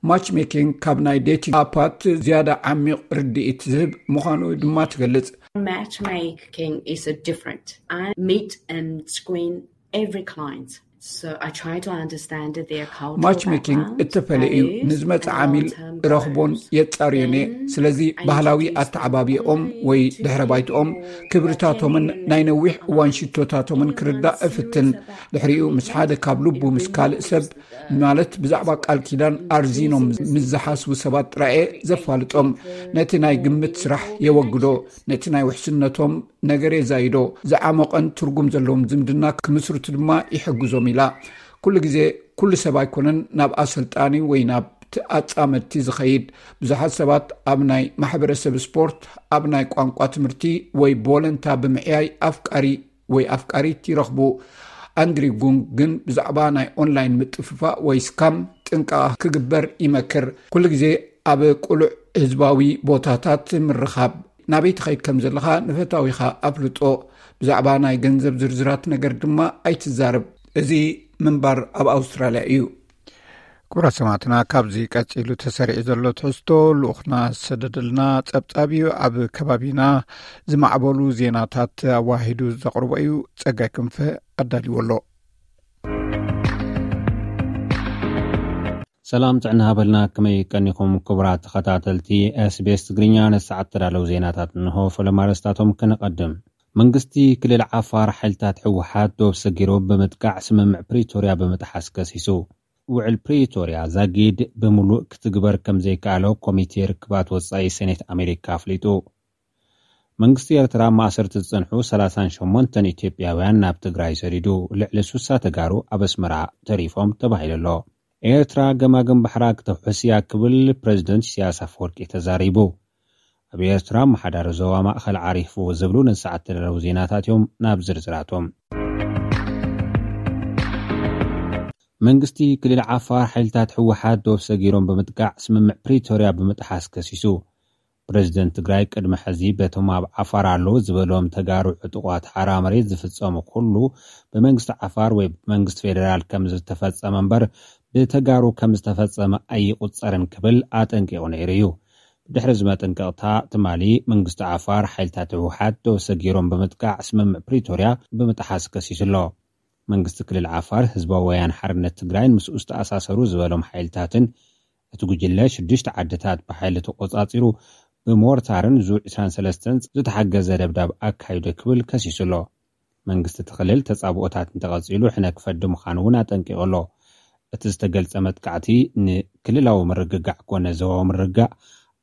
ማች ሜኪንግ ካብ ናይ ዴቲንግ ኣፓት ዝያዳ ዓሚቕ ርድኢት ዝህብ ምዃኑ ድማ ትገልጽ። Matchmaking is a different. I meet and screen every client. So I try to understand their cultural ማች ሜኪንግ background, እተፈለ እዩ። Values, ንዝመጽእ and ዓሚል long-term ረኽቦን goals. የጻርዮን እየ። ስለዚ ባህላዊ ኣተዓባቢኦም ወይ ድሕረ ባይትኦም፣ ክብርታቶምን ናይ ነዊሕ እዋን ሽቶታቶምን ክርዳእ እፍትን። ድሕሪኡ ምስ ሓደ ካብ ልቡ ምስ ካልእ ሰብ፣ ማለት ብዛዕባ ቃል ኪዳን ኣርዚኖም ምስ ዝሓስቡ ሰባት ጥራየ ዘፋልጦም። ነቲ ናይ ግምት ስራሕ የወግዶ። ነቲ ናይ ውሕስነቶም ነገር የዛይዶ። ዝዓመቐን ትርጉም ዘለዎም ዝምድና ክምስርቱ ድማ ይሕግዞም ኢላ። ኩሉ ግዜ ኩሉ ሰብ ኣይኮነን ናብ ኣሰልጣኒ ወይ ናብ ኣጻመድቲ ዝኸይድ። ብዙሓት ሰባት ኣብ ናይ ማሕበረሰብ ስፖርት፣ ኣብ ናይ ቋንቋ ትምህርቲ ወይ ቦለንታ ብምዕያይ ኣፍቃሪ ወይ ኣፍቃሪት ይረኽቡ። ኣንድሪ ጉንግ ግን ብዛዕባ ናይ ኦንላይን ምጥፍፋእ ወይ ስካም ጥንቃቐ ክግበር ይመክር። ኩሉ ግዜ ኣብ ቅሉዕ ህዝባዊ ቦታታት ምርኻብ፣ ናበይ ትኸይድ ከም ዘለኻ ንፈታዊኻ ኣፍልጦ። ብዛዕባ ናይ ገንዘብ ዝርዝራት ነገር ድማ ኣይትዛረብ። እዚ ምንባር ኣብ ኣውስትራልያ እዩ። ክቡራት ሰማዕትና፣ ካብዚ ቀጺሉ ተሰሪዑ ዘሎ ትሕዝቶ ልኡኽና ዝሰደደልና ጸብጻብ እዩ። ኣብ ከባቢና ዝማዕበሉ ዜናታት ኣዋሂዱ ዘቕርቦ እዩ። ጸጋይ ክንፈ ኣዳልዎ ኣሎ። ሰላም ጥዕና ሃበልና፣ ከመይ ቀኒኹም ክቡራት ተኸታተልቲ ኤስቢኤስ ትግርኛ? ንሰዓት ተዳለዉ ዜናታት እንሆ። ፈለማ ኣርእስታቶም ከነቐድም። መንግስቲ ክልል ዓፋር ሓይልታት ህወሓት ዶብ ሰጊሮም ብምጥቃዕ ስምምዕ ፕሪቶርያ ብምጥሓስ ከሲሱ። ውዕል ፕሪቶርያ ዛጊድ ብምሉእ ክትግበር ከም ዘይከኣሎ ኮሚቴ ርክባት ወጻኢ ሴኔት ኣሜሪካ ኣፍሊጡ። መንግስቲ ኤርትራ ኣብ ማእሰርቲ ዝጸንሑ ሰላሳን ሸሞንተን ኢትዮጵያውያን ናብ ትግራይ ሰዲዱ። ልዕሊ ሱሳ ተጋሩ ኣብ ኣስመራ ተሪፎም ተባሂሉ ኣሎ። ኤርትራ ገማግም ባሕራ ክተውሕስ እያ ክብል ፕረዚደንት ኢሳያስ ኣፈወርቂ ተዛሪቡ። ኣብ ኤርትራ ኣመሓዳሪ ዞባ ማእኸል ዓሪፉ ዝብሉ ንሰዓት ተደረቡ ዜናታት እዮም። ናብ ዝርዝራቶም። መንግስቲ ክልል ዓፋር ሓይልታት ህወሓት ዶብ ሰጊሮም ብምጥቃዕ ስምምዕ ፕሪቶርያ ብምጥሓስ ከሲሱ። ፕረዚደንት ትግራይ ቅድሚ ሕዚ በቶም ኣብ ዓፋር ኣለዉ ዝበሎም ተጋሩ ዕጡቋት ሓራ መሬት ዝፍጸሙ ኩሉ ብመንግስቲ ዓፋር ወይ ብመንግስቲ ፌደራል ከም ዝተፈጸመ እምበር ብተጋሩ ከም ዝተፈጸመ ኣይቁጸርን ክብል ኣጠንቂቑ ነይሩ እዩ። ብድሕሪ እዚ መጠንቀቕታ ትማሊ መንግስቲ ዓፋር ሓይልታት ህወሓት ዶብ ሰጊሮም ብምጥቃዕ ስምምዕ ፕሪቶርያ ብምጥሓስ ከሲሱ ኣሎ። መንግስቲ ክልል ዓፋር ህዝባዊ ወያነ ሓርነት ትግራይን ምስኡ ዝተኣሳሰሩ ዝበሎም ሓይልታትን እቲ ጉጅለ ሽዱሽተ ዓድታት ብሓይሊ ተቆጻጺሩ ብሞርታርን ዙ ዕስራን ሰለስተን ዝተሓገዘ ደብዳብ ኣካይዱ ክብል ከሲሱ ኣሎ። መንግስቲ እቲ ክልል ተጻብኦታት እንተቐጺሉ ሕነ ክፈዲ ምዃኑ እውን ኣጠንቂቑ ኣሎ። እቲ ዝተገልጸ መጥቃዕቲ ንክልላዊ ምርግጋዕ ኮነ ዞባዊ ምርግጋእ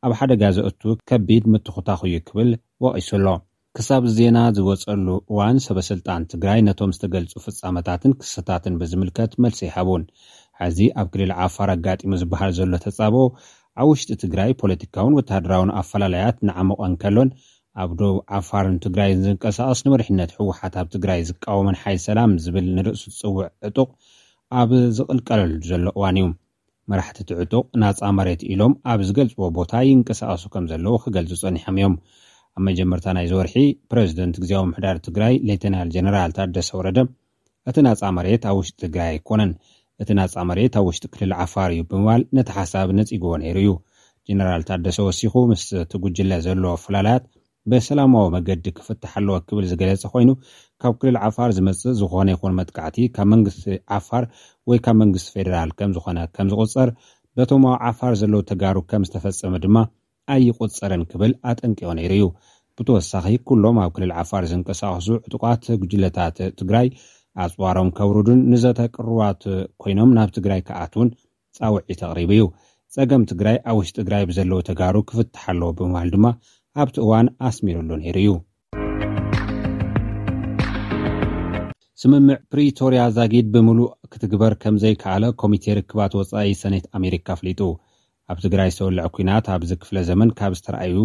ኣብ ሓደጋ ዘእቱ ከቢድ ምትኹታኹ እዩ ክብል ወቒሱ ኣሎ። ክሳብ ዜና ዝወጸሉ እዋን ሰበ ስልጣን ትግራይ ነቶም ዝተገልጹ ፍጻመታትን ክስተታትን ብዝምልከት መልሲ ኣይሃቡን። ሕዚ ኣብ ክልል ዓፋር ኣጋጢሙ ዝበሃል ዘሎ ተጻብኦ ኣብ ውሽጢ ትግራይ ፖለቲካውን ወተሃደራውን ኣፈላላያት እናዓሞቐ እንከሎን ኣብ ዶብ ዓፋርን ትግራይን ዝንቀሳቐስ ንመሪሕነት ህወሓት ኣብ ትግራይ ዝቃወምን ሓይል ሰላም ዝብል ንርእሱ ዝጽውዕ ዕጡቕ ኣብ ዝቕልቀለሉ ዘሎ እዋን እዩ። መራሕቲ እቲ ዕጡቕ ናጻ መሬት ኢሎም ኣብ ዝገልጽዎ ቦታ ይንቀሳቐሱ ከም ዘለዉ ክገልጹ ጸኒሖም እዮም። ኣብ መጀመርታ ናይዚ ወርሒ ፕረዚደንት ግዜያዊ ምምሕዳር ትግራይ ሌተናል ጀነራል ታደሰ ወረደ እቲ ናጻ መሬት ኣብ ውሽጢ ትግራይ ኣይኮነን፣ እቲ ናጻ መሬት ኣብ ውሽጢ ክልል ዓፋር እዩ ብምባል ነቲ ሓሳብ ነጺግዎ ነይሩ እዩ። ጀነራል ታደሰ ወሲኹ ምስ እቲ ጉጅለ ዘሎ ፍላላያት ብሰላማዊ መገዲ ክፍታሕ ኣለዎ ክብል ዝገለጸ ኮይኑ ካብ ክልል ዓፋር ዝመጽእ ዝኾነ ይኹን መጥቃዕቲ ካብ መንግስቲ ዓፋር ወይ ካብ መንግስቲ ፌደራል ከም ዝኾነ ከም ዝቑጸር በቶም ኣብ ዓፋር ዘለዉ ተጋሩ ከም ዝተፈጸመ ድማ ኣይቑጸርን ክብል ኣጠንቂቑ ነይሩ እዩ። ብተወሳኺ ኩሎም ኣብ ክልል ዓፋር ዝንቀሳቐሱ ዕጡቓት ጉጅለታት ትግራይ ኣጽዋሮም ከውርዱን ንዘተ ቅሩባት ኮይኖም ናብ ትግራይ ክኣትውን ጻውዒት ኣቕሪቡ እዩ። ጸገም ትግራይ ኣብ ውሽጢ ትግራይ ብዘለዉ ተጋሩ ክፍታሕ ኣለዎ ብምባል ድማ ኣብቲ እዋን ኣስሚሩሉ ነይሩ እዩ። ስምምዕ ፕሪቶርያ ዛጊድ ብምሉእ ክትግበር ከም ዘይከኣለ ኮሚቴ ርክባት ወጻኢ ሰኔት ኣሜሪካ ኣፍሊጡ። ኣብ ትግራይ ዝተወልዐ ኲናት ኣብዚ ክፍለ ዘመን ካብ ዝተረኣዩ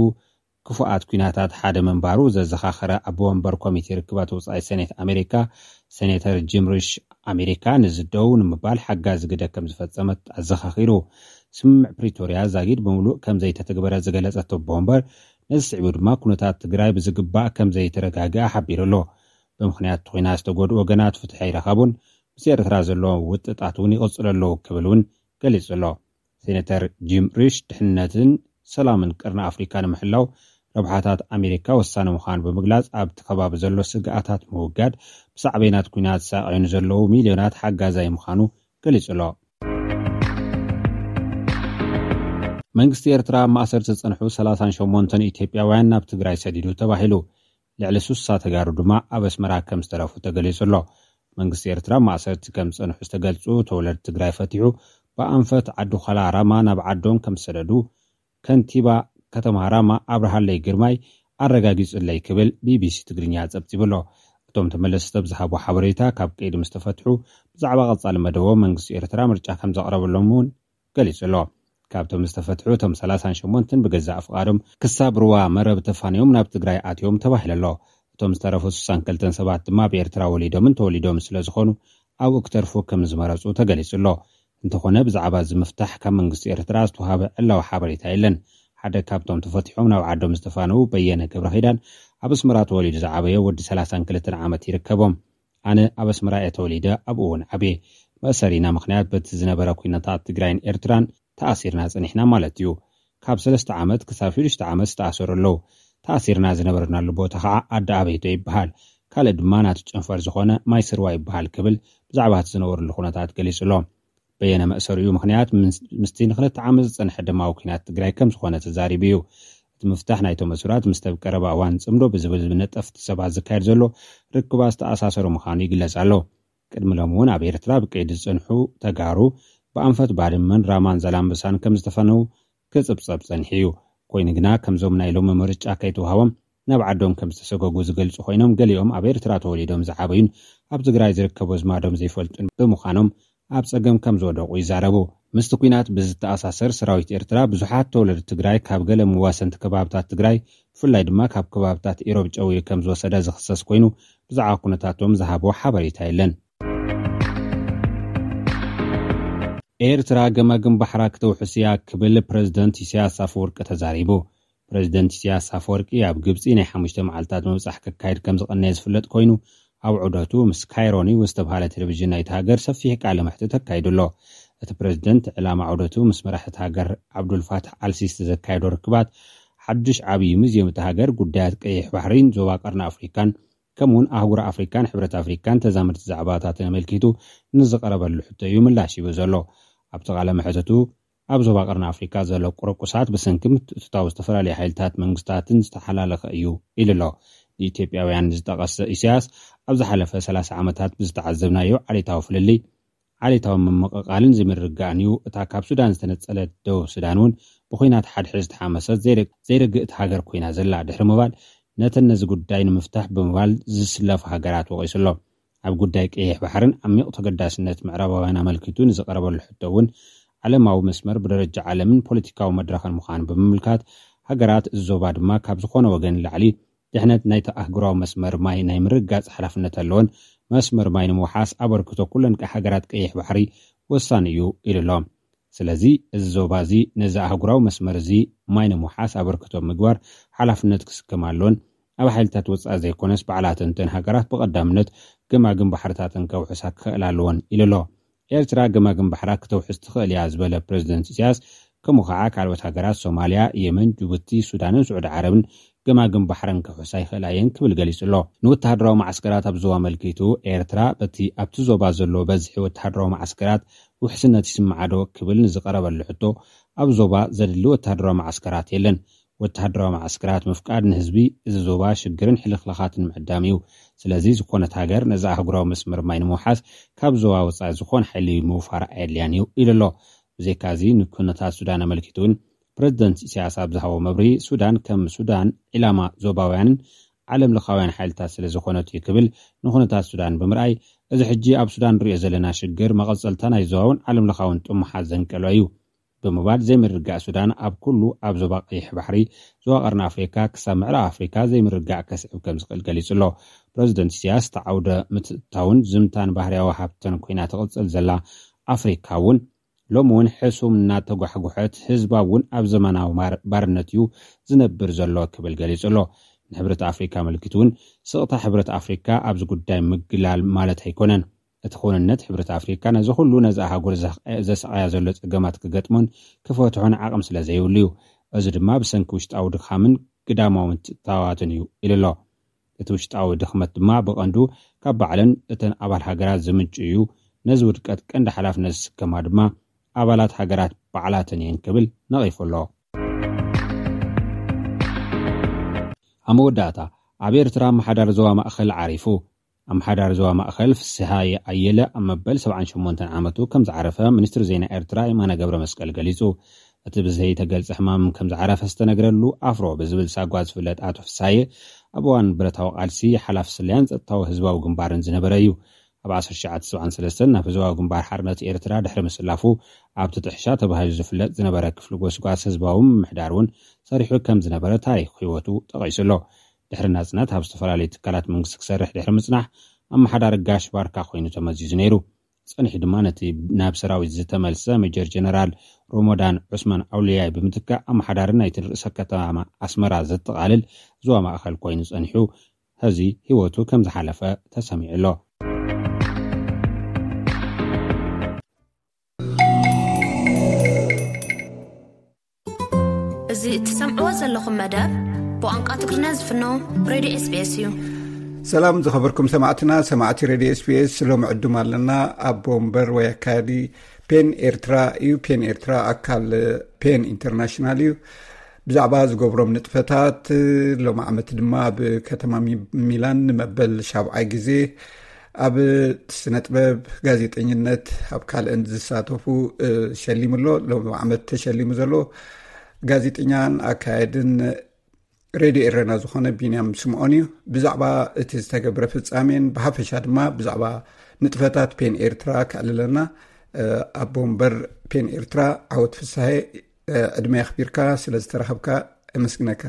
ክፉኣት ኲናታት ሓደ ምንባሩ ዘዘኻኸረ ኣቦ ወንበር ኮሚቴ ርክባት ወጻኢ ሰኔት ኣሜሪካ፣ ሴኔተር ጂም ሪሽ፣ ኣሜሪካ ንዝደው ንምባል ሓጋዚ ግደ ከም ዝፈጸመት ኣዘኻኺሩ። ስምምዕ ፕሪቶርያ ዛጊድ ብምሉእ ከም ዘይተተግበረ ዝገለጸ ኣቦ ወንበር፣ ነዚ ስዒቡ ድማ ኩነታት ትግራይ ብዝግባእ ከም ዘይተረጋግኣ ሓቢሩ ኣሎ። ብምኽንያት እቲ ኲናት ዝተጎድኡ ወገናት ፍትሒ ኣይረኸቡን፣ ምስ ኤርትራ ዘለዎም ውጥጣት እውን ይቕጽሉ ኣለዉ ክብል እውን ገሊጹ ኣሎ። ሴኔተር ጂም ሪሽ፣ ድሕነትን ሰላምን ቀርኒ ኣፍሪካ ንምሕላው ረብሓታት ኣሜሪካ ወሳኒ ምዃኑ ብምግላጽ፣ ኣብቲ ከባቢ ዘሎ ስግኣታት ምውጋድ፣ ብሳዕቤናት ኲናት ዝሳቐዩ ንዘለዉ ሚልዮናት ሓጋዛይ ምዃኑ ገሊጹ ኣሎ። መንግስቲ ኤርትራ ኣብ ማእሰርቲ ዝጸንሑ ሰላሳን ሸሞንተን ኢትዮጵያውያን ናብ ትግራይ ሰዲዱ ተባሂሉ። ልዕሊ ሱሳ ተጋሩ ድማ ኣብ ኣስመራ ከም ዝተረፉ ተገሊጹ ኣሎ። መንግስቲ ኤርትራ ማእሰርቲ ከም ዝጸንሑ ዝተገልጹ ተወለድቲ ትግራይ ፈቲሑ፣ ብኣንፈት ዓዲ ዃላ ራማ ናብ ዓዶም ከም ዝሰደዱ ከንቲባ ከተማ ራማ ኣብርሃለይ ግርማይ ኣረጋጊጹለይ ክብል ቢቢሲ ትግርኛ ጸብጺቡ ኣሎ። እቶም ተመለስቲ ኣብ ዝሃቦ ሓበሬታ፣ ካብ ቀይዲ ምስ ተፈትሑ ብዛዕባ ቀጻሊ መደቦም መንግስቲ ኤርትራ ምርጫ ከም ዘቕረበሎም እውን ገሊጹ ኣሎ። ካብቶም ዝተፈትሑ፣ እቶም ሰላሳን ሸሞንተን ብገዛእ ፍቓዶም ክሳብ ሩባ መረብ ተፋንዮም ናብ ትግራይ ኣትዮም ተባሂሉ ኣሎ። እቶም ዝተረፉ ስሳን ክልተን ሰባት ድማ ብኤርትራ ወሊዶምን ተወሊዶምን ስለ ዝኾኑ ኣብኡ ክተርፉ ከም ዝመረጹ ተገሊጹ ኣሎ። እንተኾነ ብዛዕባ እዚ ምፍታሕ ካብ መንግስቲ ኤርትራ ዝተዋሃበ ዕላዊ ሓበሬታ የለን። ሓደ ካብቶም ተፈቲሖም ናብ ዓዶም ዝተፋነዉ በየነ ገብረ ኪዳን ኣብ ኣስመራ ተወሊዱ ዝዓበየ ወዲ ሰላሳን ክልተን ዓመት ይርከቦም። ኣነ ኣብ ኣስመራ እየ ተወሊደ፣ ኣብኡ እውን ዓብየ። መእሰሪና ምኽንያት በቲ ዝነበረ ኲነታት ትግራይን ኤርትራን ተኣሲርና ጸኒሕና ማለት እዩ። ካብ ሰለስተ ዓመት ክሳብ ሽዱሽተ ዓመት ዝተኣሰሩ ኣለዉ። ተኣሲርና ዝነበርናሉ ቦታ ኸዓ ኣዲ ኣበይቶ ይበሃል። ካልእ ድማ ናቱ ጨንፈር ዝኾነ ማይ ስርዋ ይበሃል ክብል ብዛዕባ እቲ ዝነበርሉ ኩነታት ገሊጹ ኣሎ። በየነ መእሰሪኡ ምኽንያት ምስ-፣ ምስቲ ንክልተ ዓመት ዝጸንሐ ደማዊ ኲናት ትግራይ ከም ዝኾነ ተዛሪቡ እዩ። እቲ ምፍታሕ ናይቶም እሱራት ምስቲ ኣብ ቀረባ እዋን ጽምዶ ብዝብል ነጠፍቲ ሰባት ዝካየድ ዘሎ ርክባት ዝተኣሳሰሩ ምዃኑ ይግለጽ ኣሎ። ቅድሚ ሎሚ እውን ኣብ ኤርትራ ብቀይዲ ዝጸንሑ ተጋሩ ብኣንፈት ባድመን፣ ራማን ዛላምበሳን ከም ዝተፈነዉ ክጽብጸብ ጸኒሑ እዩ። ኮይኑ ግና፣ ከምዞም ናይ ሎሚ ምርጫ ከይተዋህቦም ናብ ዓዶም ከም ዝተሰጎጉ ዝገልጹ ኮይኖም፣ ገሊኦም ኣብ ኤርትራ ተወሊዶም ዝዓበዩን ኣብ ትግራይ ዝርከቡ ኣዝማዶም ዘይፈልጡን ብምዃኖም ኣብ ጸገም ከም ዝወደቑ ይዛረቡ። ምስቲ ኲናት ብዝተኣሳሰር፣ ሰራዊት ኤርትራ ብዙሓት ተወለድቲ ትግራይ ካብ ገለ መዋሰንቲ ከባብታት ትግራይ፣ ብፍላይ ድማ ካብ ከባብታት ኢሮብ ጨዊዩ ከም ዝወሰደ ዝኽሰስ ኮይኑ፣ ብዛዕባ ኩነታቶም ዝሃቦ ሓበሬታ የለን። ኤርትራ ገማግም ባሕራ ክተውሕስ እያ ክብል ፕረዚደንት ኢሳያስ ኣፈወርቂ ተዛሪቡ። ፕረዚደንት ኢሳያስ ኣፈወርቂ ኣብ ግብጺ ናይ ሓሙሽተ መዓልታት ምብጻሕ ከካይድ ከም ዝቐነየ ዝፍለጥ ኮይኑ፣ ኣብ ዑደቱ ምስ ካይሮ ኒውስ ዝተባህለ ቴሌቪዥን ናይታ ሃገር ሰፊሕ ቃለ መሕትት ኣካይዱ ኣሎ። እቲ ፕረዚደንት ዕላማ ዑደቱ ምስ መራሒ እታ ሃገር ዓብዱልፋታሕ ኣልሲሲ ዘካየዶ ርክባት፣ ሓድሽ ዓብዪ ሙዝየም እታ ሃገር፣ ጉዳያት ቀይሕ ባሕሪን ዞባ ቀርኒ ኣፍሪካን፣ ከምኡውን ኣህጉር ኣፍሪካን ሕብረት ኣፍሪካን ተዛመድቲ ዛዕባታትን ኣመልኪቱ ንዝቐረበሉ ሕቶ እዩ ምላሽ ሂቡ ዘሎ። ኣብቲ ቃለ መሕትቱ፣ ኣብ ዞባ ቀርኒ ኣፍሪካ ዘሎ ቁርቁሳት ብሰንኪ ምትእትታው ዝተፈላለዩ ሓይልታት መንግስታትን ዝተሓላለኸ እዩ ኢሉ ኣሎ። ንኢትዮጵያውያን ዝጠቐሰ ኢሳያስ፣ ኣብ ዝሓለፈ ሰላሳ ዓመታት ብዝተዓዘብናዮ ዓሌታዊ ፍልልይ፣ ዓሌታዊ ምምቕቓልን ዘይምርግጋእን እዩ። እታ ካብ ሱዳን ዝተነጸለት ደቡብ ሱዳን እውን ብኹናት ሓድሕድ ዝተሓመሰት ዘይረ-፣ ዘይርግእቲ ሃገር ኮይና ዘላ ድሕሪ ምባል፣ ነተን ነዚ ጉዳይ ንምፍታሕ ብምባል ዝስለፋ ሃገራት ወቒሱ ኣሎ። ኣብ ጉዳይ ቀይሕ ባሕርን ዓሚቕ ተገዳስነት ምዕራባውያን ኣመልኪቱ ንዝቐረበሉ ሕቶ እውን፣ ዓለማዊ መስመር ብደረጃ ዓለምን ፖለቲካዊ መድረኽን ምዃኑ ብምምልካት፣ ሃገራት እዚ ዞባ ድማ ካብ ዝኾነ ወገን ንላዕሊ ድሕነት ናይቲ ኣህጉራዊ መስመር ማይ ናይ ምርግጋጽ ሓላፍነት ኣለወን፣ መስመር ማይ ንምውሓስ ኣበርክቶ ኩለን ቀ-፣ ሃገራት ቀይሕ ባሕሪ ወሳኒ እዩ ኢሉ ኣሎ። ስለዚ እዚ ዞባ እዚ ነዚ ኣህጉራዊ መስመር እዚ ማይ ንምውሓስ ኣበርክቶ ምግባር ሓላፍነት ክስከም ኣለወን፣ ኣብ ሓይልታት ወጻኢ ዘይኮነስ ባዕላተን እተን ሃገራት ብቐዳምነት ገማግም ባሕርታተን ከውሕሳ ክኽእላ ኣለወን ኢሉ ኣሎ። ኤርትራ ገማግም ባሕራ ክተውሕስ ትኽእል እያ ዝበለ ፕረዚደንት ኢሳያስ፣ ከምኡ ከዓ ካልኦት ሃገራት ሶማልያ፣ የመን፣ ጅቡቲ፣ ሱዳንን ስዑዲ ዓረብን ገማግም ባሕረን ክውሕሳ ይኽእላ እየን ክብል ገሊጹ ኣሎ። ንወተሃደራዊ መዓስከራት ኣብ ዞባ ኣመልኪቱ፣ ኤርትራ በቲ ኣብቲ ዞባ ዘሎ በዝሒ ወተሃደራዊ መዓስከራት ውሕስነት ይስምዓ ዶ ክብል ንዝቐረበሉ ሕቶ፣ ኣብ ዞባ ዘድሊ ወተሃደራዊ መዓስከራት የለን። ወተሃደራዊ መዓስከራት ምፍቃድ ንህዝቢ እዚ ዞባ ሽግርን ሕልኽላኻትን ምዕዳም እዩ። ስለዚ ዝኾነት ሃገር ነዚ ኣህጉራዊ መስመር ማይ ንምውሓስ ካብ ዞባ ወጻኢ ዝኾነ ሓይሊ ምውፋር ኣየድልያን እዩ ኢሉ ኣሎ። ብዘይካዚ ንኩነታት ሱዳን ኣመልኪቱ እውን ፕረዚደንት ኢሳያስ ኣብ ዝሃቦ መብርሂ፣ ሱዳን ከም ሱዳን ዒላማ ዞባውያንን ዓለም ለኻውያን ሓይልታት ስለ ዝኾነት እዩ ክብል ንኹነታት ሱዳን ብምርኣይ፣ እዚ ሕጂ ኣብ ሱዳን ንሪኦ ዘለና ሽግር መቐጸልታ ናይ ዞባውን ዓለም ለኻውን ጥሙሓት ዘንቀሎ እዩ ብምባል፣ ዘይምርግጋእ ሱዳን ኣብ ኩሉ ኣብ ዞባ ቀይሕ ባሕሪ፣ ዞባ ቀርኒ ኣፍሪካ ክሳብ ምዕራብ ኣፍሪካ ዘይምርግጋእ ከስዕብ ከም ዝኽእል ገሊጹ ኣሎ። ፕረዚደንት ኢሳያስ እቲ ዓውደ ምትእትታውን ዝምታን ባህርያዊ ሃብተን ኮይና ትቕጽል ዘላ ኣፍሪካ እውን ሎሚ እውን ሕሱም እናተጓሕጉሐት፣ ህዝባ እውን ኣብ ዘመናዊ ማር-፣ ባርነት እዩ ዝነብር ዘሎ ክብል ገሊጹ ኣሎ። ንሕብረት ኣፍሪካ ኣመልኪቱ እውን፣ ስቕታ ሕብረት ኣፍሪካ ኣብዚ ጉዳይ ምግላል ማለት ኣይኮነን። እቲ ክውንነት ሕብረት ኣፍሪካ ነዚ ኩሉ ነዛ ኣህጉር ዘ-፣ ዘስዓያ ዘሎ ጸገማት ክገጥሞን ክፈትሖን ዓቕሚ ስለ ዘይብሉ እዩ። እዚ ድማ ብሰንኪ ውሽጣዊ ድኻምን ግዳማዊ ምትእትታዋትን እዩ ኢሉ ኣሎ። እቲ ውሽጣዊ ድኽመት ድማ ብቐንዱ ካብ ባዕለን እተን ኣባል ሃገራት ዝምንጩ እዩ። ነዚ ውድቀት ቀንዲ ሓላፍነት ዝስከማ ድማ ኣባላት ሃገራት ባዕላተን እየን ክብል ነቒፉ ኣሎ። ኣብ መወዳእታ፣ ኣብ ኤርትራ ኣመሓዳሪ ዞባ ማእኸል ዓሪፉ። ኣመሓዳሪ ዞባ ማእኸል ፍስሃየ ኣየለ ኣብ መበል ሰብዓን ሸሞንተን ዓመቱ ከም ዝዓረፈ ሚኒስትሪ ዜና ኤርትራ የማነ ገብረ መስቀል ገሊጹ። እቲ ብዘይተገልጸ ሕማም ከም ዝዓረፈ ዝተነግረሉ ኣፍሮ ብዝብል ሳጓ ዝፍለጥ ኣቶ ፍስሃየ፣ ኣብ እዋን ብረታዊ ቃልሲ ሓላፊ ስለያን ጸጥታዊ ህዝባዊ ግንባርን ዝነበረ እዩ። ኣብ ዓሰርተ ትሽዓተ ሰብዓን ሰለስተን ናብ ህዝባዊ ግንባር ሓርነት ኤርትራ ድሕሪ ምስላፉ፣ ኣብቲ ጥሕሻ ተባሂሉ ዝፍለጥ ዝነበረ ክፍሊ ጎስጓስ ህዝባዊ ምምሕዳር እውን ሰሪሑ ከም ዝነበረ ታሪኽ ህይወቱ ጠቒሱ ኣሎ። ድሕሪ ናጽነት ኣብ ዝተፈላለዩ ትካላት መንግስቲ ክሰርሕ ድሕሪ ምጽናሕ፣ ኣመሓዳሪ ጋሽ ባርካ ኮይኑ ተመዚዙ ነይሩ። ጸኒሑ ድማ ነቲ ናብ ሰራዊት ዝተመልሰ ሜጀር ጀነራል ሮሞዳን ዑስማን ኣውልያይ ብምትካእ፣ ኣመሓዳሪ ናይቲ ርእሰ ከተማ ኣስመራ ዘጠቓልል ዞባ ማእኸል ኮይኑ ጸኒሑ፣ ሕዚ ህይወቱ ከም ዝሓለፈ ተሰሚዑ ኣሎ። እዚ እትሰምዕዎ ዘለኹም መደብ ብቋንቋ ትግርኛ ዝፍኖ ሬድዮ ኤስቢኤስ እዩ። ሰላም ዝኸበርኩም ሰማዕትና፣ ሰማዕቲ ሬድዮ ኤስቢኤስ፣ ሎሚ ዕዱም ኣለና። ኣቦ ወንበር ወይ ኣካያዲ ፔን ኤርትራ እዩ። ፔን ኤርትራ ኣካል ፔን ኢንተርናሽናል እዩ። ብዛዕባ ዝገብሮም ንጥፈታት፣ ሎሚ ዓመት ድማ ኣብ ከተማ ሚ-፣ ሚላን ንመበል ሻብዓይ ግዜ ኣብ ስነ ጥበብ፣ ጋዜጠኝነት፣ ኣብ ካልእን ዝሳተፉ፣ እ፣ ሸሊሙ ኣሎ። ሎሚ ዓመት ተሸሊሙ ዘሎ ጋዜጠኛን ኣካያድን ሬድዮ ኤረና ዝኾነ ቢንያም ስምዖን እዩ። ብዛዕባ እቲ ዝተገብረ ፍጻሜን ብሓፈሻ ድማ ብዛዕባ ንጥፈታት ፔን ኤርትራ ከዕልለና፣ እ፣ ኣቦ ወንበር ፔን ኤርትራ ዓወት ፍስሃየ፣ እ፣ ዕድመ የኽቢርካ ስለ ዝተረኸብካ እመስግነካ።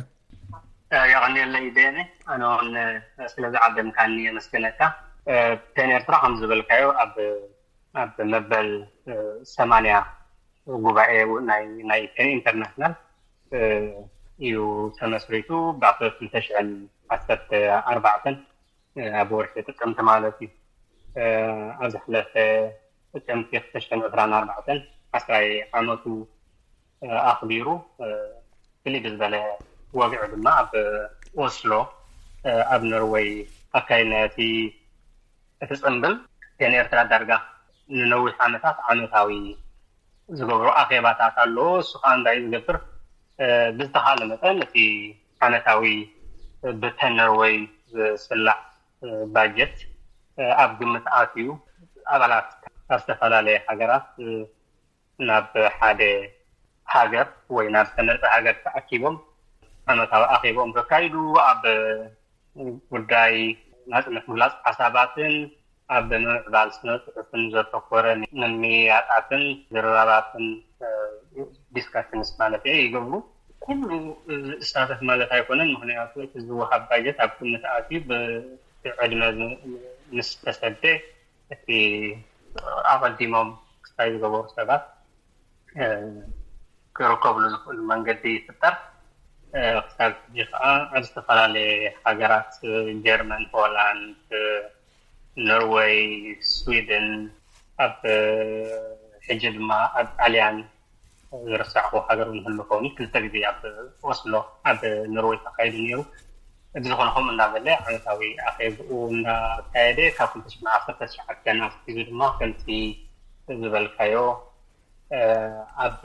እ፣ የቐንየለይ ቤኒ፣ ኣነ እውን፣ እ፣ ስለ ዝዓደምካኒ የመስግነካ። እ፣ ፔን ኤርትራ ከም ዝበልካዮ ኣብ፣ ኣብ መበል፣ እ፣ ሰማንያ ጉባኤ ናይ፣ ናይ ፔን ኢንተርናሽናል፣ እ፣ እዩ ተመስሪቱ። ብ ክልተ ሽሕን ዓሰርተ ኣርባዕተን፣ እ፣ ኣብ ወርሒ ጥቅምቲ ማለት እዩ። እ፣ ኣብ ዝሓለፈ ጥቅምቲ ክልተ ሽሕን ዕስራን ኣርባዕተን ዓስራይ ዓመቱ፣ እ፣ ኣኽቢሩ። እ፣ ፍልይ ብዝበለ ወግዒ ድማ ኣብ ኦስሎ፣ እ፣ ኣብ ኖርወይ ኣካይድናዮ። እቲ፣ እቲ ጽምብል ፔን ኤርትራ ዳርጋ ንነዊሕ ዓመታት ዓመታዊ ዝገብሮ ኣኼባታት ኣሎ። እሱ ከዓ እንታይ እዩ ዝገብር? እ፣ ብዝተኻለ መጠን እቲ ዓመታዊ ብተን ኖርወይ ዝስላዕ፣ እ፣ ባጀት፣ እ፣ ኣብ ግምት ኣትዩ፣ ኣባላት ካብ ዝተፈላለየ ሃገራት፣ እ፣ ናብ ሓደ ሃገር ወይ ናብ ዝተመርጸ ሃገር ተኣኪቦም ዓመታዊ ኣኼቦም ዘካይዱ፣ ኣብ ጉዳይ ናጽነት ምግላጽ ሓሳባትን ኣብ ምምዕባል ስነ ጽሑፍን ዘተኮረ ምምይያጣትን ዝርራባትን፣ እ፣ ዲስካሽንስ ማለት እዩ፣ ይገብሩ። ኩሉ ዝሳተፍ ማለት ኣይኮነን፣ ምኽንያቱ እቲ ዝወሃብ ባጀት ኣብ ግምት ኣትዩ ብዕድመ ዝ-፣ ምስ ተሰደ እቲ ኣቐዲሞም ክስታይ ዝገበሩ ሰባት፣ እ፣ ክርከብሉ ዝኽእሉ መንገዲ ይፍጠር። እ፣ ክሳብ ሕጂ ከዓ ኣብ ዝተፈላለየ ሃገራት፣ እ፣ ጀርመን፣ ሆላንድ፣ እ፣ ኖርወይ፣ ስዊድን፣ ኣብ፣ እ፣ ሕጂ ድማ ኣብ ጣልያን ዝረሳዕኹ ሃገር እውን ህሉ ከውን ክልተ ግዜ ኣብ ኦስሎ ኣብ ኖርወይ ተኻይዱ ነይሩ። እዚ ዝኾነ ከምኡ እንዳበለ ዓመታዊ ኣኼብኡ እንዳካየደ ካብ ክልተ ሽሕን ዓሰርተ ትሽዓተን ኣትሒዙ ድማ ከምቲ ዝበልካዮ፣ እ፣ ኣብ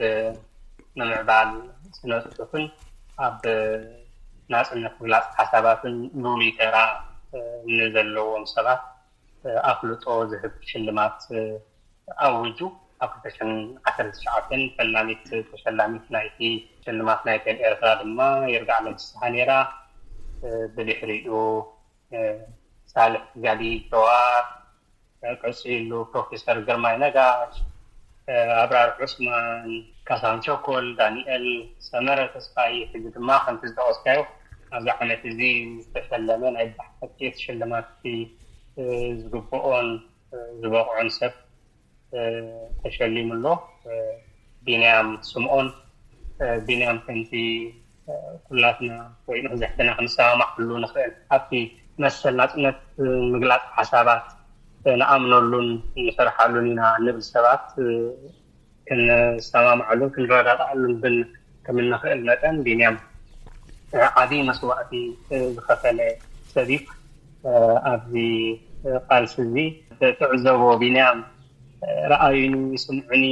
ምምዕባል ስነ ጽሑፍን ኣብ ናጽነት ምግላጽ ሓሳባትን ልሉይ ተራ፣ እ፣ ንዘለዎም ሰባት፣ እ፣ ኣፍልጦ ዝህብ ሽልማት፣ እ፣ ኣዊጁ። ኣብ ክልተ ሽሕን ዓሰርተ ትሽዓተን ፈላሚት ተሸላሚት ናይቲ ሽልማት ናይ ፔን ኤርትራ ድማ ይርጋዓለም ፍስሃ ነይራ። ብድሕሪኡ ሳልሕ ጋዲ ጀዋር፣ ቀፂሉ ፕሮፌሰር ግርማይ ነጋሽ፣ ኣብራር ዑስማን፣ ካሳሁን ቸኮል፣ ዳንኤል ሰመረ ተስፋይ፣ ሕዚ ድማ ከምቲ ዝጠቐስካዮ ኣብዚ ዓመት እዚ ዝተሸለመ ናይ ብሓቂ ሽልማት ዝግብኦን ዝበቕዖን ሰብ ተሸሊሙ ኣሎ። ቢንያም ስምኦን፣ ቢንያም ከምቲ ኩላትና ወይ መብዛሕትና ክንሰማማዕሉ ንኽእል ኣብቲ መሰል ናፅነት ምግላፅ ሓሳባት ንኣምነሉን ንሰርሓሉን ኢና ንብል ሰባት ክንሰማማዕሉን ክንረዳዳኣሉን ብን ከም እንኽእል መጠን ቢንያም ዓብዪ መስዋእቲ ዝኸፈለ ሰብ እዩ። ኣብዚ ቃልሲ እዚ ትዕዘቦ ቢንያም ረኣዩኒ፣ ይስምዑኒ፣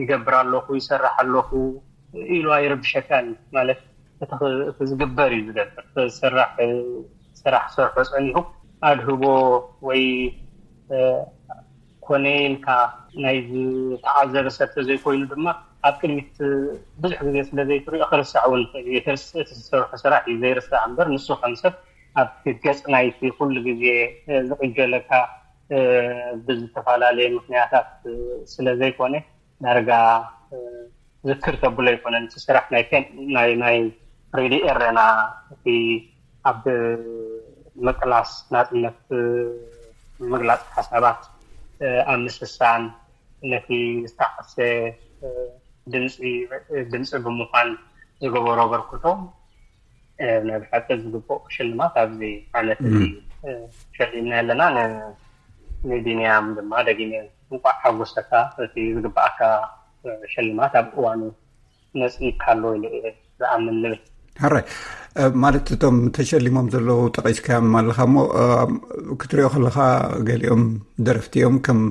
ይገብር ኣለኹ፣ ይሰርሕ ኣለኹ ኢሉ ኣይረብሸካን ማለት እቲ ዝግበር እዩ ዝገብር። ስራሕ ስራሕ ሰርሖ ፀኒሁ ኣድህቦ ወይ ኮነ ኢልካ ናይ ዝተዓዘበ ሰብ ተዘይኮይኑ ድማ ኣብ ቅድሚት ብዙሕ ግዜ ስለ ዘይትሪኦ ክርስዕ እውን ይኽእል እዩ። እቲ ዝሰርሖ ስራሕ እዩ ዘይርስዕ እምበር ንሱ ከም ሰብ ኣብ ገፅ ናይቲ ኩሉ ግዜ ዝቕጀለካ ብዝተፈላለየ ምክንያታት ስለ ዘይኮነ ዳርጋ ዝክር ተብሎ ኣይኮነን። እቲ ስራሕ ናይ ናይ ናይ ሬድዮ ኤረና እቲ ኣብ ምቅላስ ናፅነት ምግላፅ ሓሳባት ኣብ ምስሳን ነቲ ዝተዓሰ ድምፂ ድምፂ ብምዃን ዝገበሮ ኣበርክቶ ናይ ብሓቂ ዝግብኦ ሽልማት ኣብዚ ዓመት እዚ ሸሊምና ኣለና። ንቢንያም ድማ ደጊመ እንቋዕ ሓጎሰካ፣ እቲ ዝግብኣካ ሽልማት ኣብ እዋኑ መፂእካ ኣሎ ኢለ እየ ዝኣምን ንብል። ሕራይ ማለት እቶም ተሸሊሞም ዘለዉ ጠቒስካዮም ኣለኻ እሞ ክትሪኦ ከለኻ ገሊኦም ደረፍቲ እዮም ከም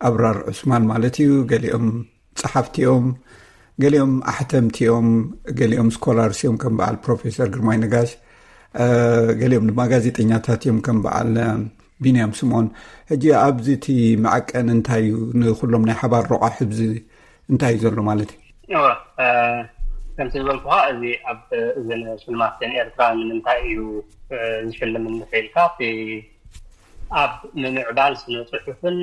ኣብራር ዑስማን ማለት እዩ፣ ገሊኦም ጸሓፍቲ እዮም፣ ገሊኦም ኣሕተምቲ እዮም፣ ገሊኦም ስኮላርስ እዮም ከም በዓል ፕሮፌሰር ግርማይ ነጋሽ፣ ገሊኦም ድማ ጋዜጠኛታት እዮም ከም በዓል ቢንያም ስምኦን። ሕጂ ኣብዚ እቲ መዐቀኒ እንታይ እዩ ንኩሎም ናይ ሓባር ረቋሒ ኣብዚ እንታይ እዩ ዘሎ ማለት እዩ? እወ፣ ከምቲ ዝበልኩኻ እዚ ኣብ እዘን ሽልማትን ኤርትራ ንምንታይ እዩ ዝሽልም እንተኢልካ፣ እቲ ኣብ ምምዕባል ስነ ጽሑፍን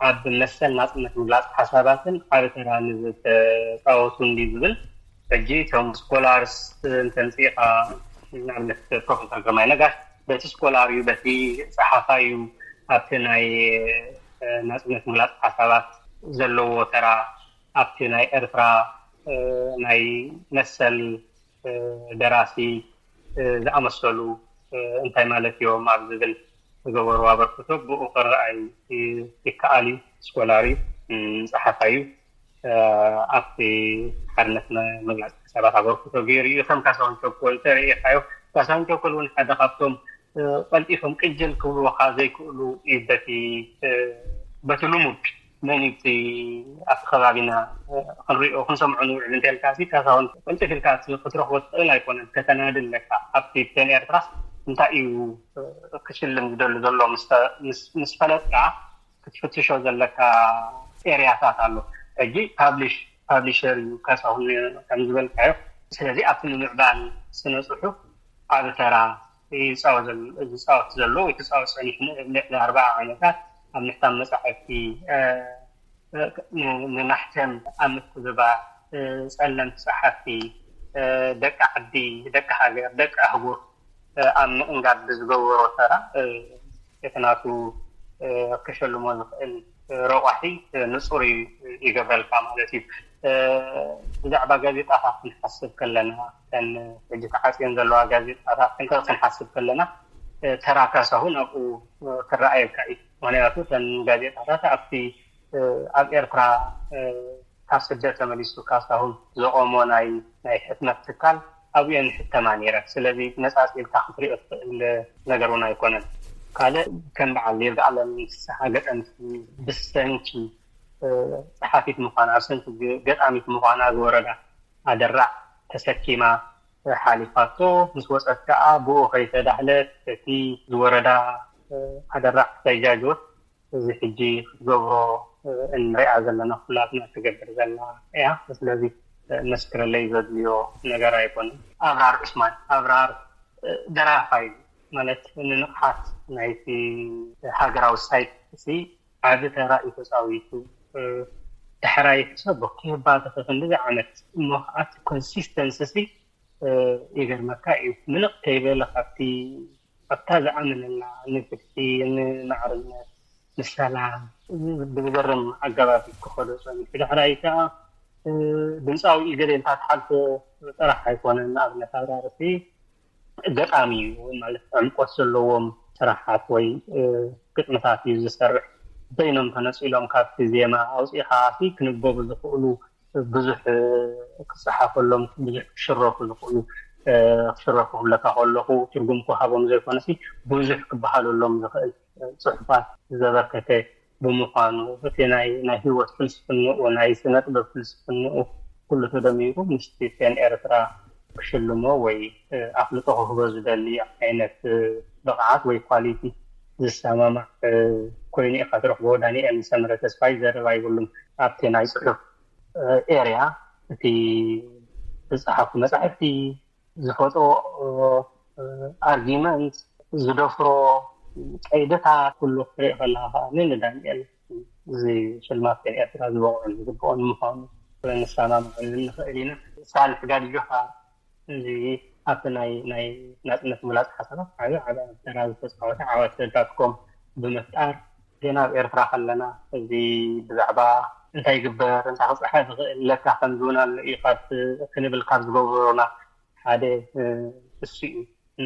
ኣብ መሰል ናጽነት ምግላጽ ሓሳባትን ዓቢ ተራ ንዝተጻወቱ እንዲ ዝብል፣ ሕጂ እቶም ስኮላርስ እንተምጽኢኻ፣ ንኣብነት ፕሮፌሰር ግርማይ ነጋሽ በቲ ስኮላር እዩ፣ በቲ ጸሓፋይ እዩ፣ ኣብቲ ናይ ናጽነት ምግላጽ ሓሳባት ዘለዎ ተራ ኣብቲ ናይ ኤርትራ ናይ መሰል ደራሲ ዝኣመሰሉ እንታይ ማለት እዮም ኣብ ዝብል ዝገበሩ ኣበርክቶ ብኡ ክረኣይ ይከኣል እዩ። ስኮላር እዩ፣ ጸሓፋይ እዩ። ኣብቲ ሓርነት መግላፅ ሓሳባት ኣበርክቶ ገይሩ እዩ። ከም ካሳሁን ቸኮል ተረኢኻዮ፣ ካሳሁን ቸኮል እውን ሓደ ካብቶም ቀልጢፎም ቅጅል ክብልወካ ዘይክእሉ እዩ። በቲ በቲ ልሙድ መን እቲ ኣብቲ ከባቢና ክንሪኦ ክንሰምዖ ንውዕል እንተልካ ሲ ካሳሁን ቅልጥፍ ኢልካ ክትረኽቦ ትኽእል ኣይኮነን። ከተናዲ ኣለካ ኣብቲ ፕሌን ኤርትራ እንታይ እዩ ክሽልም ዝደሊ ዘሎ ምስ ፈለጥካ ክትፍትሾ ዘለካ ኤርያታት ኣሎ። ሕጂ ፓብሊሽ ፓብሊሸር እዩ ካሳሁን ከም ዝበልካዮ። ስለዚ ኣብቲ ንምዕባል ስነ ፅሑፍ ዓቢ ተራ ዝፃወት ዘሎ ወይ ክፃወት ፀኒሑ ልዕሊ ኣርባዓ ዓመታት ኣብ ምሕታም መፃሕፍቲ ንማሕተም ኣብ ምትግባር ፀለምቲ ፀሓፍቲ ደቂ ዓዲ ደቂ ሃገር ደቂ ኣህጉር ኣብ ምእንጋድ ብዝገበሮ ተራ እቲ ናቱ ክሸልሞ ዝኽእል ረቋሒ ንፁር ይገብረልካ ማለት እዩ። ብዛዕባ ጋዜጣታት ክንሓስብ ከለና፣ ተን ሕጂ ተዓፅየን ዘለዋ ጋዜጣታት ክንሓስብ ከለና ተራ ካሳሁን ኣብኡ ክረኣየካ እዩ። ምክንያቱ ተን ጋዜጣታት ኣብቲ ኣብ ኤርትራ ካብ ስደት ተመሊሱ ካሳሁን ዘቆሞ ናይ ናይ ሕትመት ትካል ኣብኡ እየን ሕተማ ነይረን። ስለዚ ነፃፂልካ ክትሪኦ ትኽእል ነገር እውን ኣይኮነን። ካልእ ከም በዓል ይርጋኣለም ፍስሓ ገጠምቲ ብሰንኪ ፀሓፊት ምዃና ብሰንኪ ገጣሚት ምዃና ዝወረዳ ኣደራዕ ተሰኪማ ሓሊፋቶ ምስ ወፀት ከዓ ብኡ ከይተዳህለት እቲ ዝወረዳ ኣደራዕ ከይጃጀወት እዚ ሕጂ ክትገብሮ እንሪኣ ዘለና ኩላትና ትገብር ዘላ እያ። ስለዚ መስክረለይ ዘድልዮ ነገር ኣይኮነን። ኣብራር ዑስማን ኣብራር ደራፋይ ማለት ንንቕሓት ናይቲ ሃገራዊ ሳይት ዓቢ ተራ እዩ ተፃዊቱ። ዳሕራይ ሕሰብ ብክህባተ ክንዲዚ ዓመት እሞ ከዓ ኮንሲስተንሲ ይገርመካ እዩ። ምንቕ ከይበለ ካብቲ ኣብታ ዝኣመነላ ንፍትሒ፣ ንማዕርነት፣ ንሰላም ብዝገርም ኣገባብ ክኸዶ ፀኒሑ። ዳሕራይ ከዓ ድምፃዊ ኢገሌ እንታ ትሓልፎ ጥራሕ ኣይኮነን። ንኣብነት ኣብራርሲ ገጣሚ እዩ ማለት ዕምቆት ዘለዎም ስራሓት ወይ ግጥምታት እዩ ዝሰርሕ። በይኖም ተነፂሎም ካብቲ ዜማ ኣውፂኻ ክንበቡ ዝኽእሉ ብዙሕ ክፀሓፈሎም ብዙሕ ክሽረፉ ዝኽእሉ ክሽረፉ ክብለካ ከለኹ ትርጉም ክሃቦም ዘይኮነሲ ብዙሕ ክበሃለሎም ዝኽእል ፅሑፋት ዘበርከተ ብምዃኑ እቲ ናይ ናይ ህይወት ፍልስፍንኡ ናይ ስነ ጥበብ ፍልስፍንኡ ኩሉ ተደሚሩ ምስቲ ፔን ኤርትራ ክሽልሞ ወይ ኣፍልጦ ክህቦ ዝደሊ ዓይነት ብቕዓት ወይ ኳሊቲ ዝሰማማዕ ኮይኑ ኢኻ ትረኽቦ። ዳንኤል ሰመረ ተስፋይ ዘረባ ይብሉም ኣብቲ ናይ ፅሑፍ ኤርያ እቲ ዝፀሓፉ መፃሕፍቲ ዝፈጥሮ ኣርጊመንት ዝደፍሮ ቀይደታት ኩሉ ክትርኢ ከለካ ከዓ ንዳንኤል እዚ ሽልማት ፔን ኤርትራ ዝበቕዑን ዝግብኦን ምዃኑ ንሰማምዐሉ ንኽእል ኢና። ሳልሕ ጋዲጆኻ እዚ ኣብቲ ናይ ናይ ናፅነት ምላፅ ሓሳባት ዓቢ ዓቢ ተራ ዝተፃወተ ዓወት ዳትኮም ብምፍጣር ገና ኣብ ኤርትራ ከለና እዚ ብዛዕባ እንታይ ይግበር እንታይ ክፅሓፍ ዝኽእል ለካ ከምዚ እውን ኣሎ እዩ ካብ ክንብል ካብ ዝገብሩና ሓደ እሱ እዩ።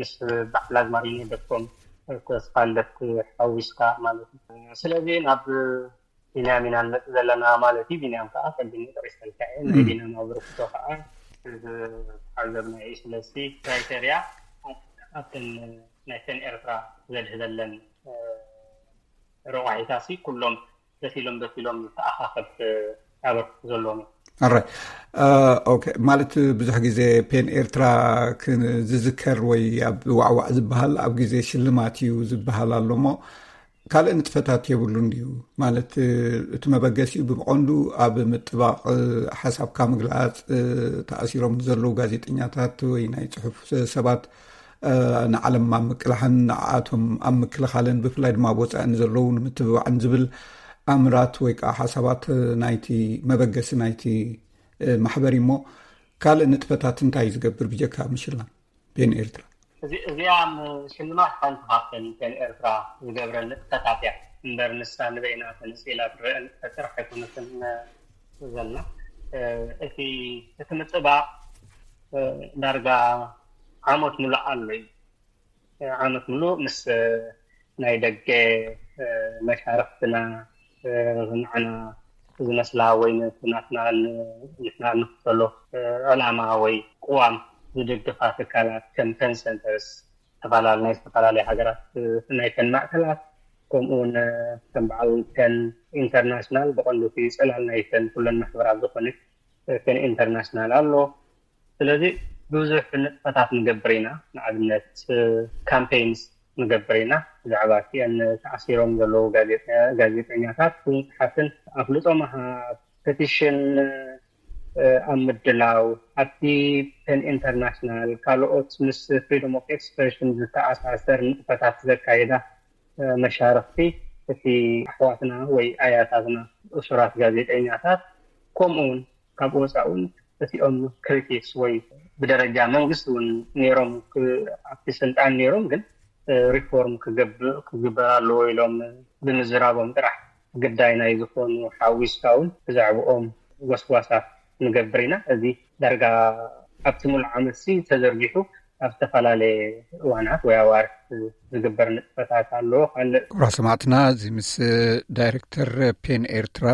ምስ በዓል ኣዝማሪኖ ደቆም ተስፋልደት ሓዊስካ ማለት እዩ። ስለዚ ናብ ቢንያም ኢና ንመፅእ ዘለና ማለት እዩ። ቢንያም ከዓ ቅድሚ ጠቂሰልካ እየ ናይ ቢንያም ኣበርክቶ ከዓ ዝተዓዘብና እዩ። ስለዚ ክራይተርያ ኣብተን ናይ ፔን ኤርትራ ዘድህበለን ረቋሒታሲ ኩሎም በቲሎም በቲሎም ዝተኣኻኸብ ኣበርክቶ ዘለዎም እዩ። ኣራይ ኦኬ ማለት ብዙሕ ግዜ ፔን ኤርትራ ዝዝከር ወይ ኣብ ዋዕዋዕ ዝበሃል ኣብ ግዜ ሽልማት እዩ ዝበሃል ኣሎ እሞ ካልእ ንጥፈታት የብሉን ድዩ ማለት እቲ መበገሲኡ ብቐንዱ ኣብ ምጥባቕ ሓሳብካ ምግላፅ ተኣሲሮም ዘለዉ ጋዜጠኛታት ወይ ናይ ፅሑፍ ሰባት ንዓለም ኣብ ምቅላሕን ንዓኣቶም ኣብ ምክልኻልን ብፍላይ ድማ ኣብ ወፃኢ ንዘለዉ ንምትብባዕን ዝብል ኣምራት ወይ ከዓ ሓሳባት ናይቲ መበገሲ ናይቲ ማሕበር እሞ ካልእ ንጥፈታት እንታይ እዩ ዝገብር ብጀካ ምሽላም ፔን ኤርትራ? እዚኣ ሽልማት ሓንቲ ካብተን ፔን ኤርትራ ዝገብረን ንጥፈታት እያ እምበር ንሳ ንበይና ተነፂላ ትረአ ንጥፈት ጥራሕ ኣይኮነትን ዘላ። እቲ እቲ ምጥባቕ ዳርጋ ዓመት ሙሉእ ኣሎ እዩ። ዓመት ሙሉእ ምስ ናይ ደገ መሻርክትና ንዓና ዝመስላ ወይ ናትና ንሕና እንክተሎ ዕላማ ወይ ቅዋም ዝድግፋ ትካላት ከም ፔን ሰንተርስ ዝተፈላለዩ ናይ ዝተፈላለዩ ሃገራት ናይ ፔን ማእከላት ከምኡ እውን ከም በዓል ፔን ኢንተርናሽናል ብቐንዱ እቲ ፅላል ናይ ፔን ኩለን ማሕበራት ዝኾነ ፔን ኢንተርናሽናል ኣሎ። ስለዚ ብዙሕ ንጥፈታት ንገብር ኢና። ንኣብነት ካምፔይንስ ንገብር ኢና። ብዛዕባ እቲአን ተኣሲሮም ዘለዉ ጋዜጠኛታት ብምፅሓፍን ኣፍልጦ ምሃብ፣ ፔቲሽን ኣብ ምድላው፣ ኣብቲ ፔን ኢንተርናሽናል ካልኦት ምስ ፍሪደም ኦፍ ኤክስፕሬሽን ዝተኣሳሰር ንጥፈታት ዘካየዳ መሻርክቲ እቲ ኣሕዋትና ወይ ኣያታትና እሱራት ጋዜጠኛታት ከምኡ እውን ካብ ወፃኢ እውን እቲኦም ክሪቲክስ ወይ ብደረጃ መንግስቲ እውን ነይሮም ኣብቲ ስልጣን ነይሮም ግን ሪፎርም ክግበር ኣለዎ ኢሎም ብምዝራቦም ጥራሕ ግዳይ ናይ ዝኾኑ ሓዊስካ እውን ብዛዕባኦም ጎስጓሳት ንገብር ኢና። እዚ ዳርጋ ኣብቲ ሙሉእ ዓመት ሲ ተዘርጊሑ ኣብ ዝተፈላለየ እዋናት ወይ ኣዋርሕ ዝግበር ንጥፈታት ኣሎ። ካልእ ክቡራት ሰማዕትና እዚ ምስ ዳይሬክተር ፔን ኤርትራ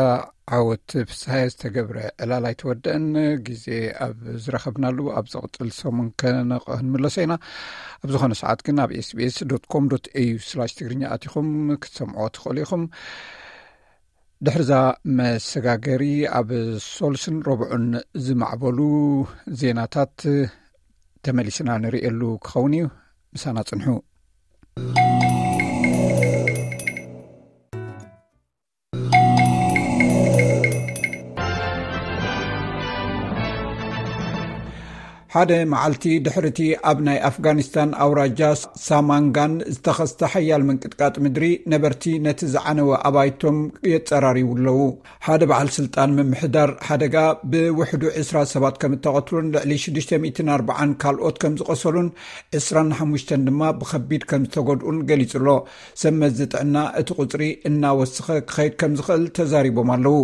ዓወት ፍስሃየ ዝተገብረ ዕላል ኣይተወደአን። ግዜ ኣብ ዝረኸብናሉ ኣብ ዝቕፅል ሰሙን ከነቕንምለሶ ኢና። ኣብ ዝኾነ ሰዓት ግን ኣብ ኤስቢኤስ ዶት ኮም ዶት ኤዩ ስላሽ ትግርኛ ኣቲኹም ክትሰምዕዎ ትኽእሉ ኢኹም። ድሕርዛ መሰጋገሪ ኣብ ሶልስን ረብዑን ዝማዕበሉ ዜናታት ተመሊስና ንርእየሉ ክኸውን እዩ። ምሳና ጽንሑ። ሓደ መዓልቲ ድሕርቲ ኣብ ናይ ኣፍጋኒስታን ኣውራጃ ሳማንጋን ዝተኸስተ ሓያል ምንቅጥቃጥ ምድሪ፣ ነበርቲ ነቲ ዝዓነወ ኣባይቶም የጸራርዩ ኣለዉ። ሓደ በዓል ስልጣን ምምሕዳር ሓደጋ ብውሕዱ ዕስራ ሰባት ከም እተቐትሉን ልዕሊ ሽዱሽተ ሚእትን ኣርባዓን ካልኦት ከም ዝቆሰሉን ዕስራን ሓሙሽተን ድማ ብኸቢድ ከም ዝተጎድኡን ገሊጹ ኣሎ። ሰብ መዚ ጥዕና እቲ ቁጽሪ እናወሰኸ ክኸይድ ከም ዝኽእል ተዛሪቦም ኣለዉ።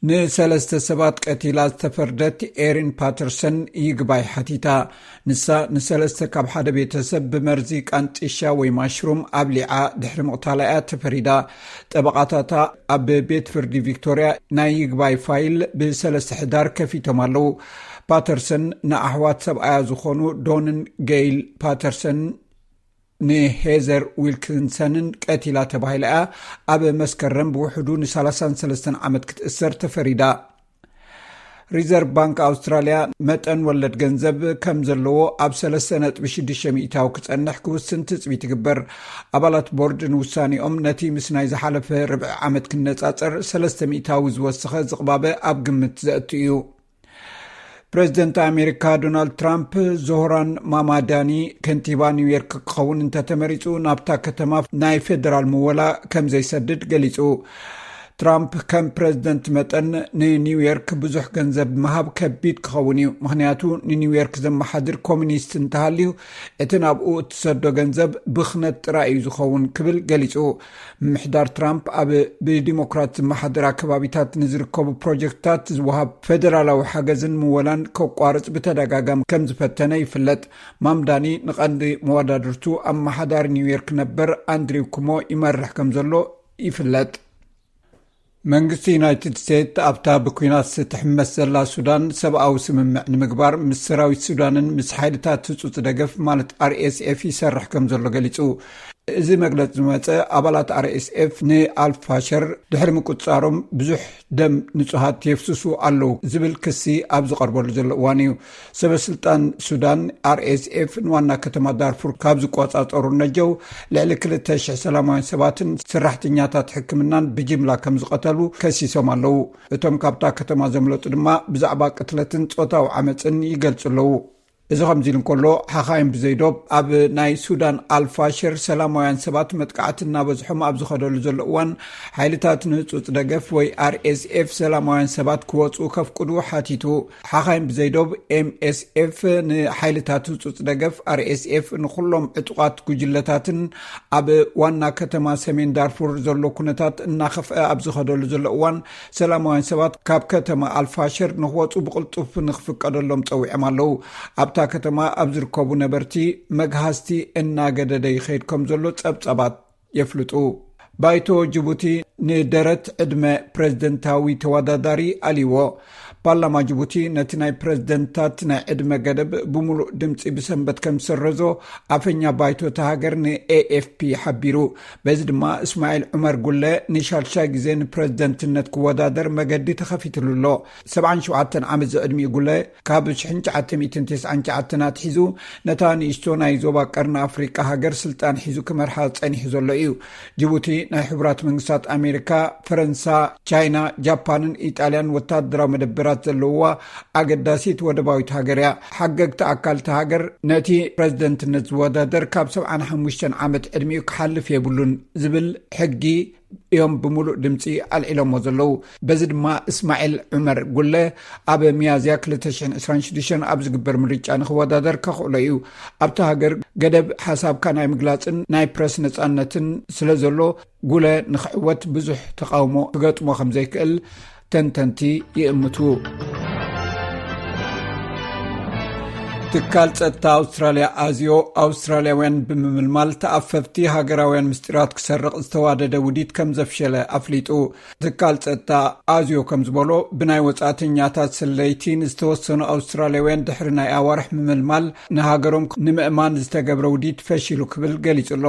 ንሰለስተ ሰባት ቀቲላ ዝተፈርደት ኤሪን ፓተርሰን ይግባይ ሓቲታ። ንሳ ንሰለስተ ካብ ሓደ ቤተሰብ ብመርዚ ቃንጢሻ ወይ ማሽሩም ኣብሊዓ ድሕሪ ምቕታላ እያ ተፈሪዳ። ጠበቓታታ ኣብ ቤት ፍርዲ ቪክቶርያ ናይ ይግባይ ፋይል ብሰለስተ ሕዳር ከፊቶም ኣለዉ። ፓተርሰን ንኣሕዋት ሰብኣያ ዝኾኑ ዶንን ጌይል ፓተርሰን ንሄዘር ዊልኪንሰንን ቀቲላ ተባሂላ እያ ኣብ መስከረም ብውሕዱ ን ሰላሳን ሰለስተን ዓመት ክትእሰር ተፈሪዳ። ሪዘርቭ ባንክ ኣውስትራልያ መጠን ወለድ ገንዘብ ከም ዘለዎ ኣብ ሰለስተ ነጥቢ ሽዱሽተ ሚእታዊ ክጸንሕ ክውስን ትጽቢት ይግበር። ኣባላት ቦርድ ንውሳኔኦም ነቲ ምስ ናይ ዝሓለፈ ርብዒ ዓመት ክነጻጸር ሰለስተ ሚእታዊ ዝወሰኸ ዝቕባበ ኣብ ግምት ዘእቱ እዩ። ፕሬዚደንት ኣሜሪካ ዶናልድ ትራምፕ ዞህራን ማማዳኒ ከንቲባ ኒውዮርክ ክኸውን እንተተመሪጹ ናብታ ከተማ ናይ ፌደራል ምወላ ከም ዘይሰድድ ገሊጹ። ትራምፕ ከም ፕሬዚደንት መጠን ንኒውዮርክ ብዙሕ ገንዘብ ምሃብ ከቢድ ክኸውን እዩ፣ ምኽንያቱ ንኒውዮርክ ዘመሓድር ኮሚኒስት እንተሃልዩ እቲ ናብኡ እትሰዶ ገንዘብ ብኽነት ጥራይ እዩ ዝኸውን ክብል ገሊጹ። ምምሕዳር ትራምፕ ኣብ ብዲሞክራት ዝመሓደራ ከባቢታት ንዝርከቡ ፕሮጀክትታት ዝወሃብ ፌደራላዊ ሓገዝን ምወላን ከቋርጽ ብተደጋጋሚ ከም ዝፈተነ ይፍለጥ። ማምዳኒ ንቐንዲ መወዳድርቱ ኣመሓዳሪ ኒውዮርክ ነበር ኣንድሪው ኩሞ ይመርሕ ከም ዘሎ ይፍለጥ። መንግስቲ ዩናይትድ ስቴትስ ኣብታ ብኲናት ትሕመስ ዘላ ሱዳን ሰብኣዊ ስምምዕ ንምግባር ምስ ሰራዊት ሱዳንን ምስ ሓይልታት ህጹጽ ደገፍ ማለት ኣር ኤስ ኤፍ ይሰርሕ ከም ዘሎ ገሊጹ። እዚ መግለጺ ዝመጸ ኣባላት ኣር ኤስ ኤፍ ንኣልፋሸር ድሕሪ ምቁጻሮም ብዙሕ ደም ንጹሃት የፍስሱ ኣለዉ ዝብል ክሲ ኣብ ዝቐርበሉ ዘሎ እዋን እዩ። ሰበ ስልጣን ሱዳን ኣር ኤስ ኤፍ ንዋና ከተማ ዳርፉር ካብ ዝቆጻጸሩ ነጀው ልዕሊ ክልተ ሽሕ ሰላማውያን ሰባትን ሰራሕተኛታት ሕክምናን ብጅምላ ከም ዝቐተሉ ከሲሶም ኣለዉ። እቶም ካብታ ከተማ ዘምለጡ ድማ ብዛዕባ ቅትለትን ጾታዊ ዓመጽን ይገልጹ ኣለዉ። እዚ ከምዚ ኢሉ እንከሎ፣ ሓኻይም ብዘይዶብ ኣብ ናይ ሱዳን ኣልፋሽር ሰላማውያን ሰባት መጥቃዕቲ እናበዝሖም ኣብ ዝኸደሉ ዘሎ እዋን፣ ሓይልታት ንህጹጽ ደገፍ ወይ ኣር ኤስ ኤፍ ሰላማውያን ሰባት ክወጹ ከፍቅዱ ሓቲቱ። ሓኻይም ብዘይዶብ ኤም ኤስ ኤፍ ንሓይልታት ህጹጽ ደገፍ ኣር ኤስ ኤፍ ንኹሎም ዕጡቓት ጉጅለታትን ኣብ ዋና ከተማ ሰሜን ዳርፉር ዘሎ ኩነታት እናኸፍአ ኣብ ዝኸደሉ ዘሎ እዋን፣ ሰላማውያን ሰባት ካብ ከተማ ኣልፋሽር ንክወጹ ብቕልጡፍ ንክፍቀደሎም ጸዊዖም ኣለዉ። ኣብታ ከተማ ኣብ ዝርከቡ ነበርቲ መግሃስቲ እናገደደ ይኸይድ ከም ዘሎ ጸብጻባት የፍልጡ። ባይቶ ጅቡቲ ንደረት ዕድመ ፕሬዝደንታዊ ተወዳዳሪ ኣልይዎ። ፓርላማ ጅቡቲ ነቲ ናይ ፕሬዝደንታት ናይ ዕድመ ገደብ ብምሉእ ድምፂ ብሰንበት ከም ዝሰረዞ ኣፈኛ ባይቶ እታ ሃገር ን ኤ ኤፍ ፒ ሓቢሩ። በዚ ድማ እስማዒል ዑመር ጉለ ንሻልሻይ ግዜ ንፕሬዝደንትነት ክወዳደር መገዲ ተኸፊትሉ ኣሎ። ሰብዓን ሸውዓተን ዓመት ዝዕድሚኡ ጉለ ካብ ሽሕን ትሽዓተ ሚእትን ተስዓን ትሽዓተን ኣትሒዙ ነታ ንእሽቶ ናይ ዞባ ቀርኒ ኣፍሪቃ ሃገር ስልጣን ሒዙ ክመርሓ ጸኒሑ ዘሎ እዩ። ጅቡቲ ናይ ሕቡራት መንግስታት ኣሜሪካ፣ ፈረንሳ፣ ቻይና፣ ጃፓንን ኢጣልያን ወታደራዊ መደበራት ዘለውዋ ኣገዳሲት ወደባዊት ሃገር እያ። ሓገግቲ ኣካል እታ ሃገር ነቲ ፕሬዝደንትነት ዝወዳደር ካብ ሰብዓን ሓሙሽተን ዓመት ዕድሚኡ ክሓልፍ የብሉን ዝብል ሕጊ እዮም ብምሉእ ድምፂ ኣልዒሎሞ ዘለዉ። በዚ ድማ እስማዒል ዑመር ጉለ ኣብ ሚያዝያ ክልተ ሽሕን ዕስራን ሽዱሽተን ኣብ ዝግበር ምርጫ ንክወዳደር ከኽእሎ እዩ። ኣብታ ሃገር ገደብ ሓሳብካ ናይ ምግላፅን ናይ ፕረስ ነፃነትን ስለ ዘሎ፣ ጉለ ንክዕወት ብዙሕ ተቃውሞ ክገጥሞ ከም ዘይክእል ተንተንቲ ይእምቱ። ትካል ጸጥታ ኣውስትራልያ ኣዝዮ፣ ኣውስትራልያውያን ብምምልማል ተኣፈፍቲ ሃገራውያን ምስጢራት ክሰርቕ ዝተዋደደ ውዲት ከም ዘፍሸለ ኣፍሊጡ። ትካል ጸጥታ ኣዝዮ ከም ዝበሎ፣ ብናይ ወጻእተኛታት ስለይቲ ንዝተወሰኑ ኣውስትራልያውያን ድሕሪ ናይ ኣዋርሕ ምምልማል ንሃገሮም ንምእማን ዝተገብረ ውዲት ፈሺሉ ክብል ገሊጹ ኣሎ።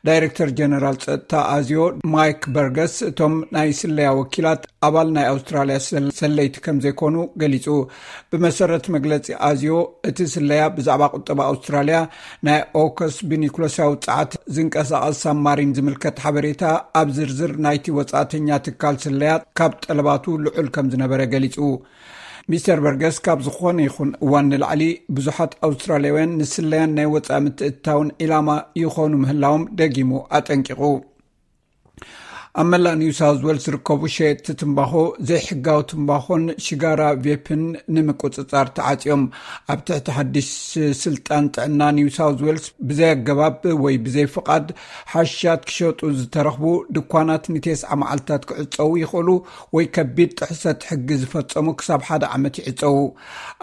ዳይሬክተር ጀነራል ጸጥታ ኣዝዮ ማይክ በርገስ፣ እቶም ናይ ስለያ ወኪላት ኣባል ናይ ኣውስትራልያ ሰል-፣ ሰለይቲ ከም ዘይኮኑ ገሊጹ። ብመሰረት መግለጺ ኣዝዮ፣ እቲ ስለያ ብዛዕባ ቁጠባ ኣውስትራልያ ናይ ኦከስ ብኒኩለሳዊ ጸዓት ዝንቀሳቐስ ሳብማሪን ዝምልከት ሓበሬታ ኣብ ዝርዝር ናይቲ ወጻእተኛ ትካል ስለያ ካብ ጠለባቱ ልዑል ከም ዝነበረ ገሊጹ። ሚስተር በርገስ ካብ ዝኾነ ይኹን እዋን ንላዕሊ ብዙሓት ኣውስትራልያውያን ንስለያን ናይ ወፃኢ ምትእትታውን ዒላማ ይኾኑ ምህላዎም ደጊሙ ኣጠንቂቑ። ኣብ መላእ ኒው ሳውዝ ዌልስ ዝርከቡ ሸየጥቲ ትምባኾ ዘይሕጋዊ ትምባኾን ሽጋራ ቬፕን ንምቁፅፃር ተዓፅዮም። ኣብ ትሕቲ ሓድሽ ስልጣን ጥዕና ኒው ሳውዝ ዌልስ ብዘይ ኣገባብ ወይ ብዘይ ፍቓድ ሓሽሻት ክሸጡ ዝተረኽቡ ድኳናት ንቴስዓ መዓልታት ክዕፀዉ ይኽእሉ ወይ ከቢድ ጥሕሰት ሕጊ ዝፈፀሙ ክሳብ ሓደ ዓመት ይዕፀዉ።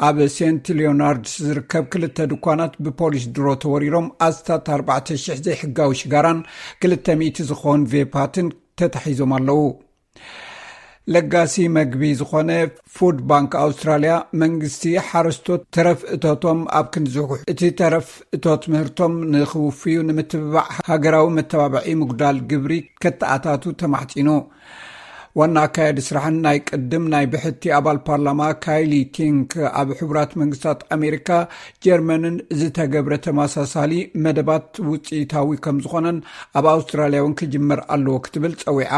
ኣብ ሴንት ሊዮናርድስ ዝርከብ ክልተ ድኳናት ብፖሊስ ድሮ ተወሪሮም ኣስታት ኣርባዕተ ሽሕ ዘይሕጋዊ ሽጋራን ክልተ ሚእቲ ዝኾን ቬፓትን ተታሒዞም ኣለዉ። ለጋሲ መግቢ ዝኾነ ፉድ ባንክ ኣውስትራልያ መንግስቲ ሓረስቶት ተረፍ እቶቶም ኣብ ክንዝሕጉሕ እቲ ተረፍ እቶት ምህርቶም ንኽውፍዩ ንምትብባዕ ሃገራዊ መተባብዒ ምጉዳል ግብሪ ከተኣታቱ ተማሕፂኑ። ዋና ኣካያዲ ስራሕን ናይ ቅድም ናይ ብሕቲ ኣባል ፓርላማ ካይሊ ቲንክ ኣብ ሕቡራት መንግስታት ኣሜሪካ ጀርመንን ዝተገብረ ተመሳሳሊ መደባት ውፅኢታዊ ከም ዝኾነን ኣብ ኣውስትራልያ እውን ክጅመር ኣለዎ ክትብል ፀዊዓ።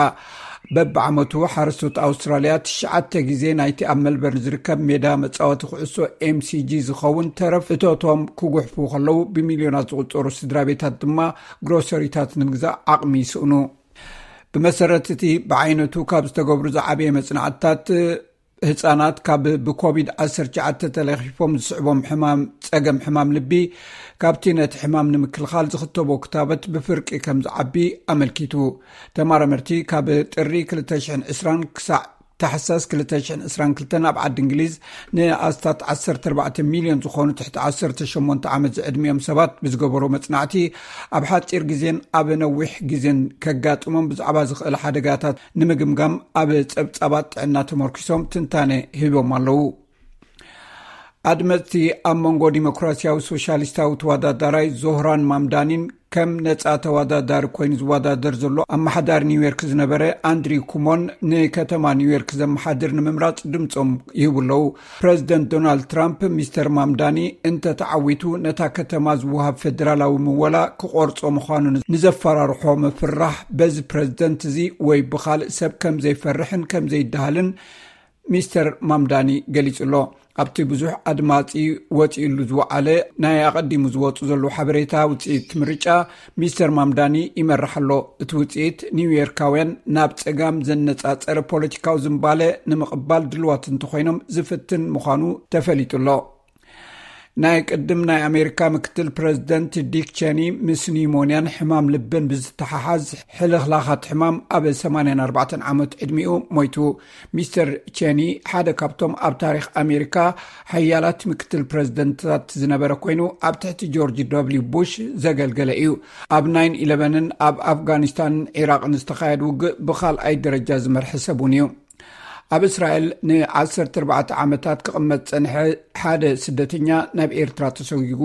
በብዓመቱ ሓረስቶት ኣውስትራልያ ትሽዓተ ግዜ ናይቲ ኣብ መልበርን ዝርከብ ሜዳ መፃወቲ ኩዕሶ ኤምሲጂ ዝኸውን ተረፍ እቶቶም ክጉሕፉ ከለዉ ብሚልዮናት ዝቁፀሩ ስድራ ቤታት ድማ ግሮሰሪታት ንምግዛእ ዓቕሚ ይስእኑ። ብመሰረት እቲ ብዓይነቱ ካብ ዝተገብሩ ዝዓበየ መፅናዕትታት ህፃናት ካብ ብኮቪድ ዓሰርተ ትሽዓተ ተለኺፎም ዝስዕቦም ሕማም ጸገም ሕማም ልቢ ካብቲ ነቲ ሕማም ንምክልኻል ዝኽተቦ ክታበት ብፍርቂ ከም ዝዓቢ ኣመልኪቱ። ተማራመርቲ ካብ ጥሪ ክልተ ሽሕን ዕስራን ክሳዕ ታሕሳስ ክልተ ሽሕን ዕስራን ክልተን ኣብ ዓዲ እንግሊዝ ንኣስታት ዓሰርተ ኣርባዕተ ሚልዮን ዝኾኑ ትሕቲ ዓሰርተ ሸሞንተ ዓመት ዝዕድሚኦም ሰባት ብዝገበሮ መጽናዕቲ ኣብ ሓጺር ግዜን ኣብ ነዊሕ ግዜን ከጋጥሞም ብዛዕባ ዝኽእል ሓደጋታት ንምግምጋም ኣብ ጸብጻባት ጥዕና ተመርኪሶም ትንታነ ሂቦም ኣለዉ። ኣድመፅቲ ኣብ መንጎ ዲሞክራሲያዊ ሶሻሊስታዊ ተወዳዳራይ ዞህራን ማምዳኒን ከም ነፃ ተወዳዳሪ ኮይኑ ዝወዳደር ዘሎ ኣመሓዳሪ ኒውዮርክ ዝነበረ ኣንድሪው ኩሞን ንከተማ ኒውዮርክ ዘመሓድር ንምምራፅ ድምፆም ይህቡ ኣለዉ። ፕረዚደንት ዶናልድ ትራምፕ ሚስተር ማምዳኒ እንተተዓዊቱ ነታ ከተማ ዝወሃብ ፌደራላዊ ምወላ ክቆርጾ ምዃኑ ንዘፈራርሖ ምፍርራሕ በዚ ፕረዚደንት እዚ ወይ ብኻልእ ሰብ ከም ዘይፈርሕን ከም ዘይደሃልን ሚስተር ማምዳኒ ገሊጹ ኣሎ። ኣብቲ ብዙሕ ኣድማጺ ወጺኡሉ ዝወዓለ ናይ ኣቐዲሙ ዝወጹ ዘለዉ ሓበሬታ ውጽኢት ምርጫ ሚስተር ማምዳኒ ይመርሕ ኣሎ። እቲ ውጽኢት ኒውዮርካውያን ናብ ጸጋም ዘነጻጸረ ፖለቲካዊ ዝንባለ ንምቕባል ድልዋት እንተኾይኖም ዝፍትን ምዃኑ ተፈሊጡ ኣሎ። ናይ ቅድም ናይ ኣሜሪካ ምክትል ፕረዚደንት ዲክ ቸኒ ምስ ኒሞንያን ሕማም ልብን ብዝተሓሓዝ ሕልኽላኻት ሕማም ኣብ ሰማንያን ኣርባዕተን ዓመት ዕድሚኡ ሞይቱ። ሚስተር ቸኒ ሓደ ካብቶም ኣብ ታሪኽ ኣሜሪካ ሓያላት ምክትል ፕረዚደንትታት ዝነበረ ኮይኑ ኣብ ትሕቲ ጆርጅ ደብሊው ቡሽ ዘገልገለ እዩ። ኣብ ናይን ኢለቨንን ኣብ ኣፍጋኒስታንን ዒራቕን ዝተኻየድ ውግእ ብኻልኣይ ደረጃ ዝመርሐ ሰብ እውን እዩ። ኣብ እስራኤል ንዓሰርተ ኣርባዕተ ዓመታት ክቕመጥ ጸንሐ ሓደ ስደተኛ ናብ ኤርትራ ተሰጒጉ።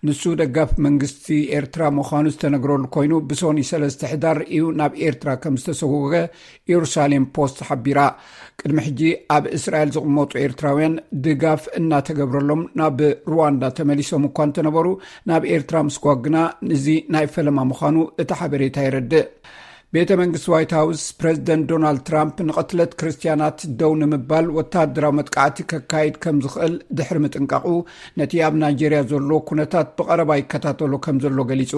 ንሱ ደጋፊ መንግስቲ ኤርትራ ምዃኑ ዝተነግረሉ ኮይኑ ብሶኒ ሰለስተ ሕዳር እዩ ናብ ኤርትራ ከም ዝተሰጎገ ኢየሩሳሌም ፖስት ሓቢራ። ቅድሚ ሕጂ ኣብ እስራኤል ዝቕመጡ ኤርትራውያን ድጋፍ እናተገብረሎም ናብ ሩዋንዳ ተመሊሶም እኳ እንተነበሩ ናብ ኤርትራ ምስጓግ ግና እዚ ናይ ፈለማ ምዃኑ እቲ ሓበሬታ የረድእ። ቤተ መንግስቲ ዋይት ሃውስ ፕረዚደንት ዶናልድ ትራምፕ ንቕትለት ክርስትያናት ደው ንምባል ወታደራዊ መጥቃዕቲ ከካይድ ከም ዝኽእል ድሕሪ ምጥንቃቑ ነቲ ኣብ ናይጀርያ ዘሎ ኩነታት ብቐረባ ይከታተሎ ከም ዘሎ ገሊጹ።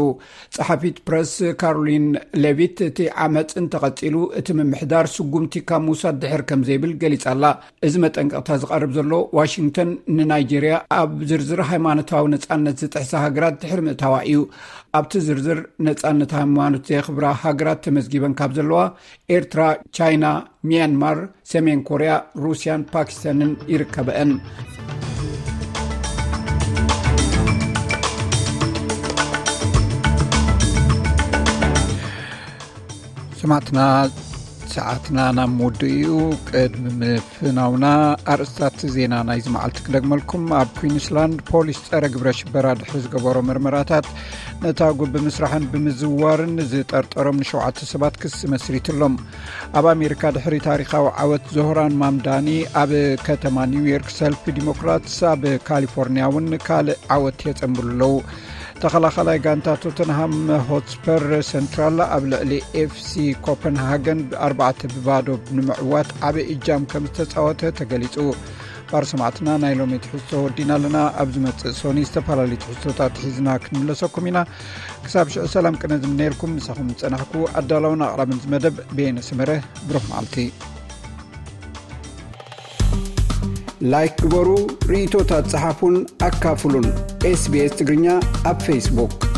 ጸሓፊት ፕረስ ካሮሊን ሌቪት እቲ ዓመጽ እንተቐጺሉ እቲ ምምሕዳር ስጉምቲ ካብ ምውሳድ ድሕር ከም ዘይብል ገሊጻ ኣላ። እዚ መጠንቀቕታ ዝቐርብ ዘሎ ዋሽንግተን ንናይጀርያ ኣብ ዝርዝር ሃይማኖታዊ ነጻነት ዝጥሕሳ ሃገራት ድሕሪ ምእታዋ እዩ። ኣብቲ ዝርዝር ነጻነት ሃይማኖት ዘየኽብራ ሃገራት ተመዝጊበን ካብ ዘለዋ ኤርትራ፣ ቻይና፣ ሚያንማር፣ ሰሜን ኮርያ፣ ሩስያን ፓኪስታንን ይርከበአን። ሰማዕትና፣ ሰዓትና ናብ ምውድኡ እዩ። ቅድሚ ምፍናውና ኣርእስታት ዜና ናይዚ መዓልቲ ክደግመልኩም። ኣብ ኩዊንስላንድ ፖሊስ ጸረ ግብረ ሽበራ ድሕሪ ዝገበሮ ምርመራታት ነታ ጉብ ብምስራሕን ብምዝዋርን ዝጠርጠሮም ንሸውዓተ ሰባት ክሲ መስሪትሎም። ኣብ ኣሜሪካ ድሕሪ ታሪኻዊ ዓወት ዞህራን ማምዳኒ ኣብ ከተማ ኒውዮርክ ሰልፊ ዲሞክራትስ ኣብ ካሊፎርኒያ እውን ካልእ ዓወት የጸንብሉ ኣለዉ። ተኸላኸላይ ጋንታ ቶተንሃም ሆትስፐር ሰንትራል ኣብ ልዕሊ ኤፍሲ ኮፐንሃገን ኣርባዕተ ብባዶ ንምዕዋት ዓቢ እጃም ከም ዝተጻወተ ተገሊጹ። ባር ሰማዕትና፣ ናይ ሎሚ ትሕዝቶ ወዲና ኣለና። ኣብ ዝመጽእ ሶኒ ዝተፈላለዩ ትሕዝቶታት ሒዝና ክንምለሰኩም ኢና። ክሳብ ሽዑ ሰላም ቅነ ዝምነየልኩም፣ ምሳኹም ዝጸናሕኩ ኣዳላውን ኣቕራብን እዚ መደብ በየነ ሰመረ። ብሩኽ መዓልቲ። ላይክ ግበሩ፣ ርእይቶታት ጸሓፉን ኣካፍሉን። SBS ትግርኛ ኣብ ፌስቡክ።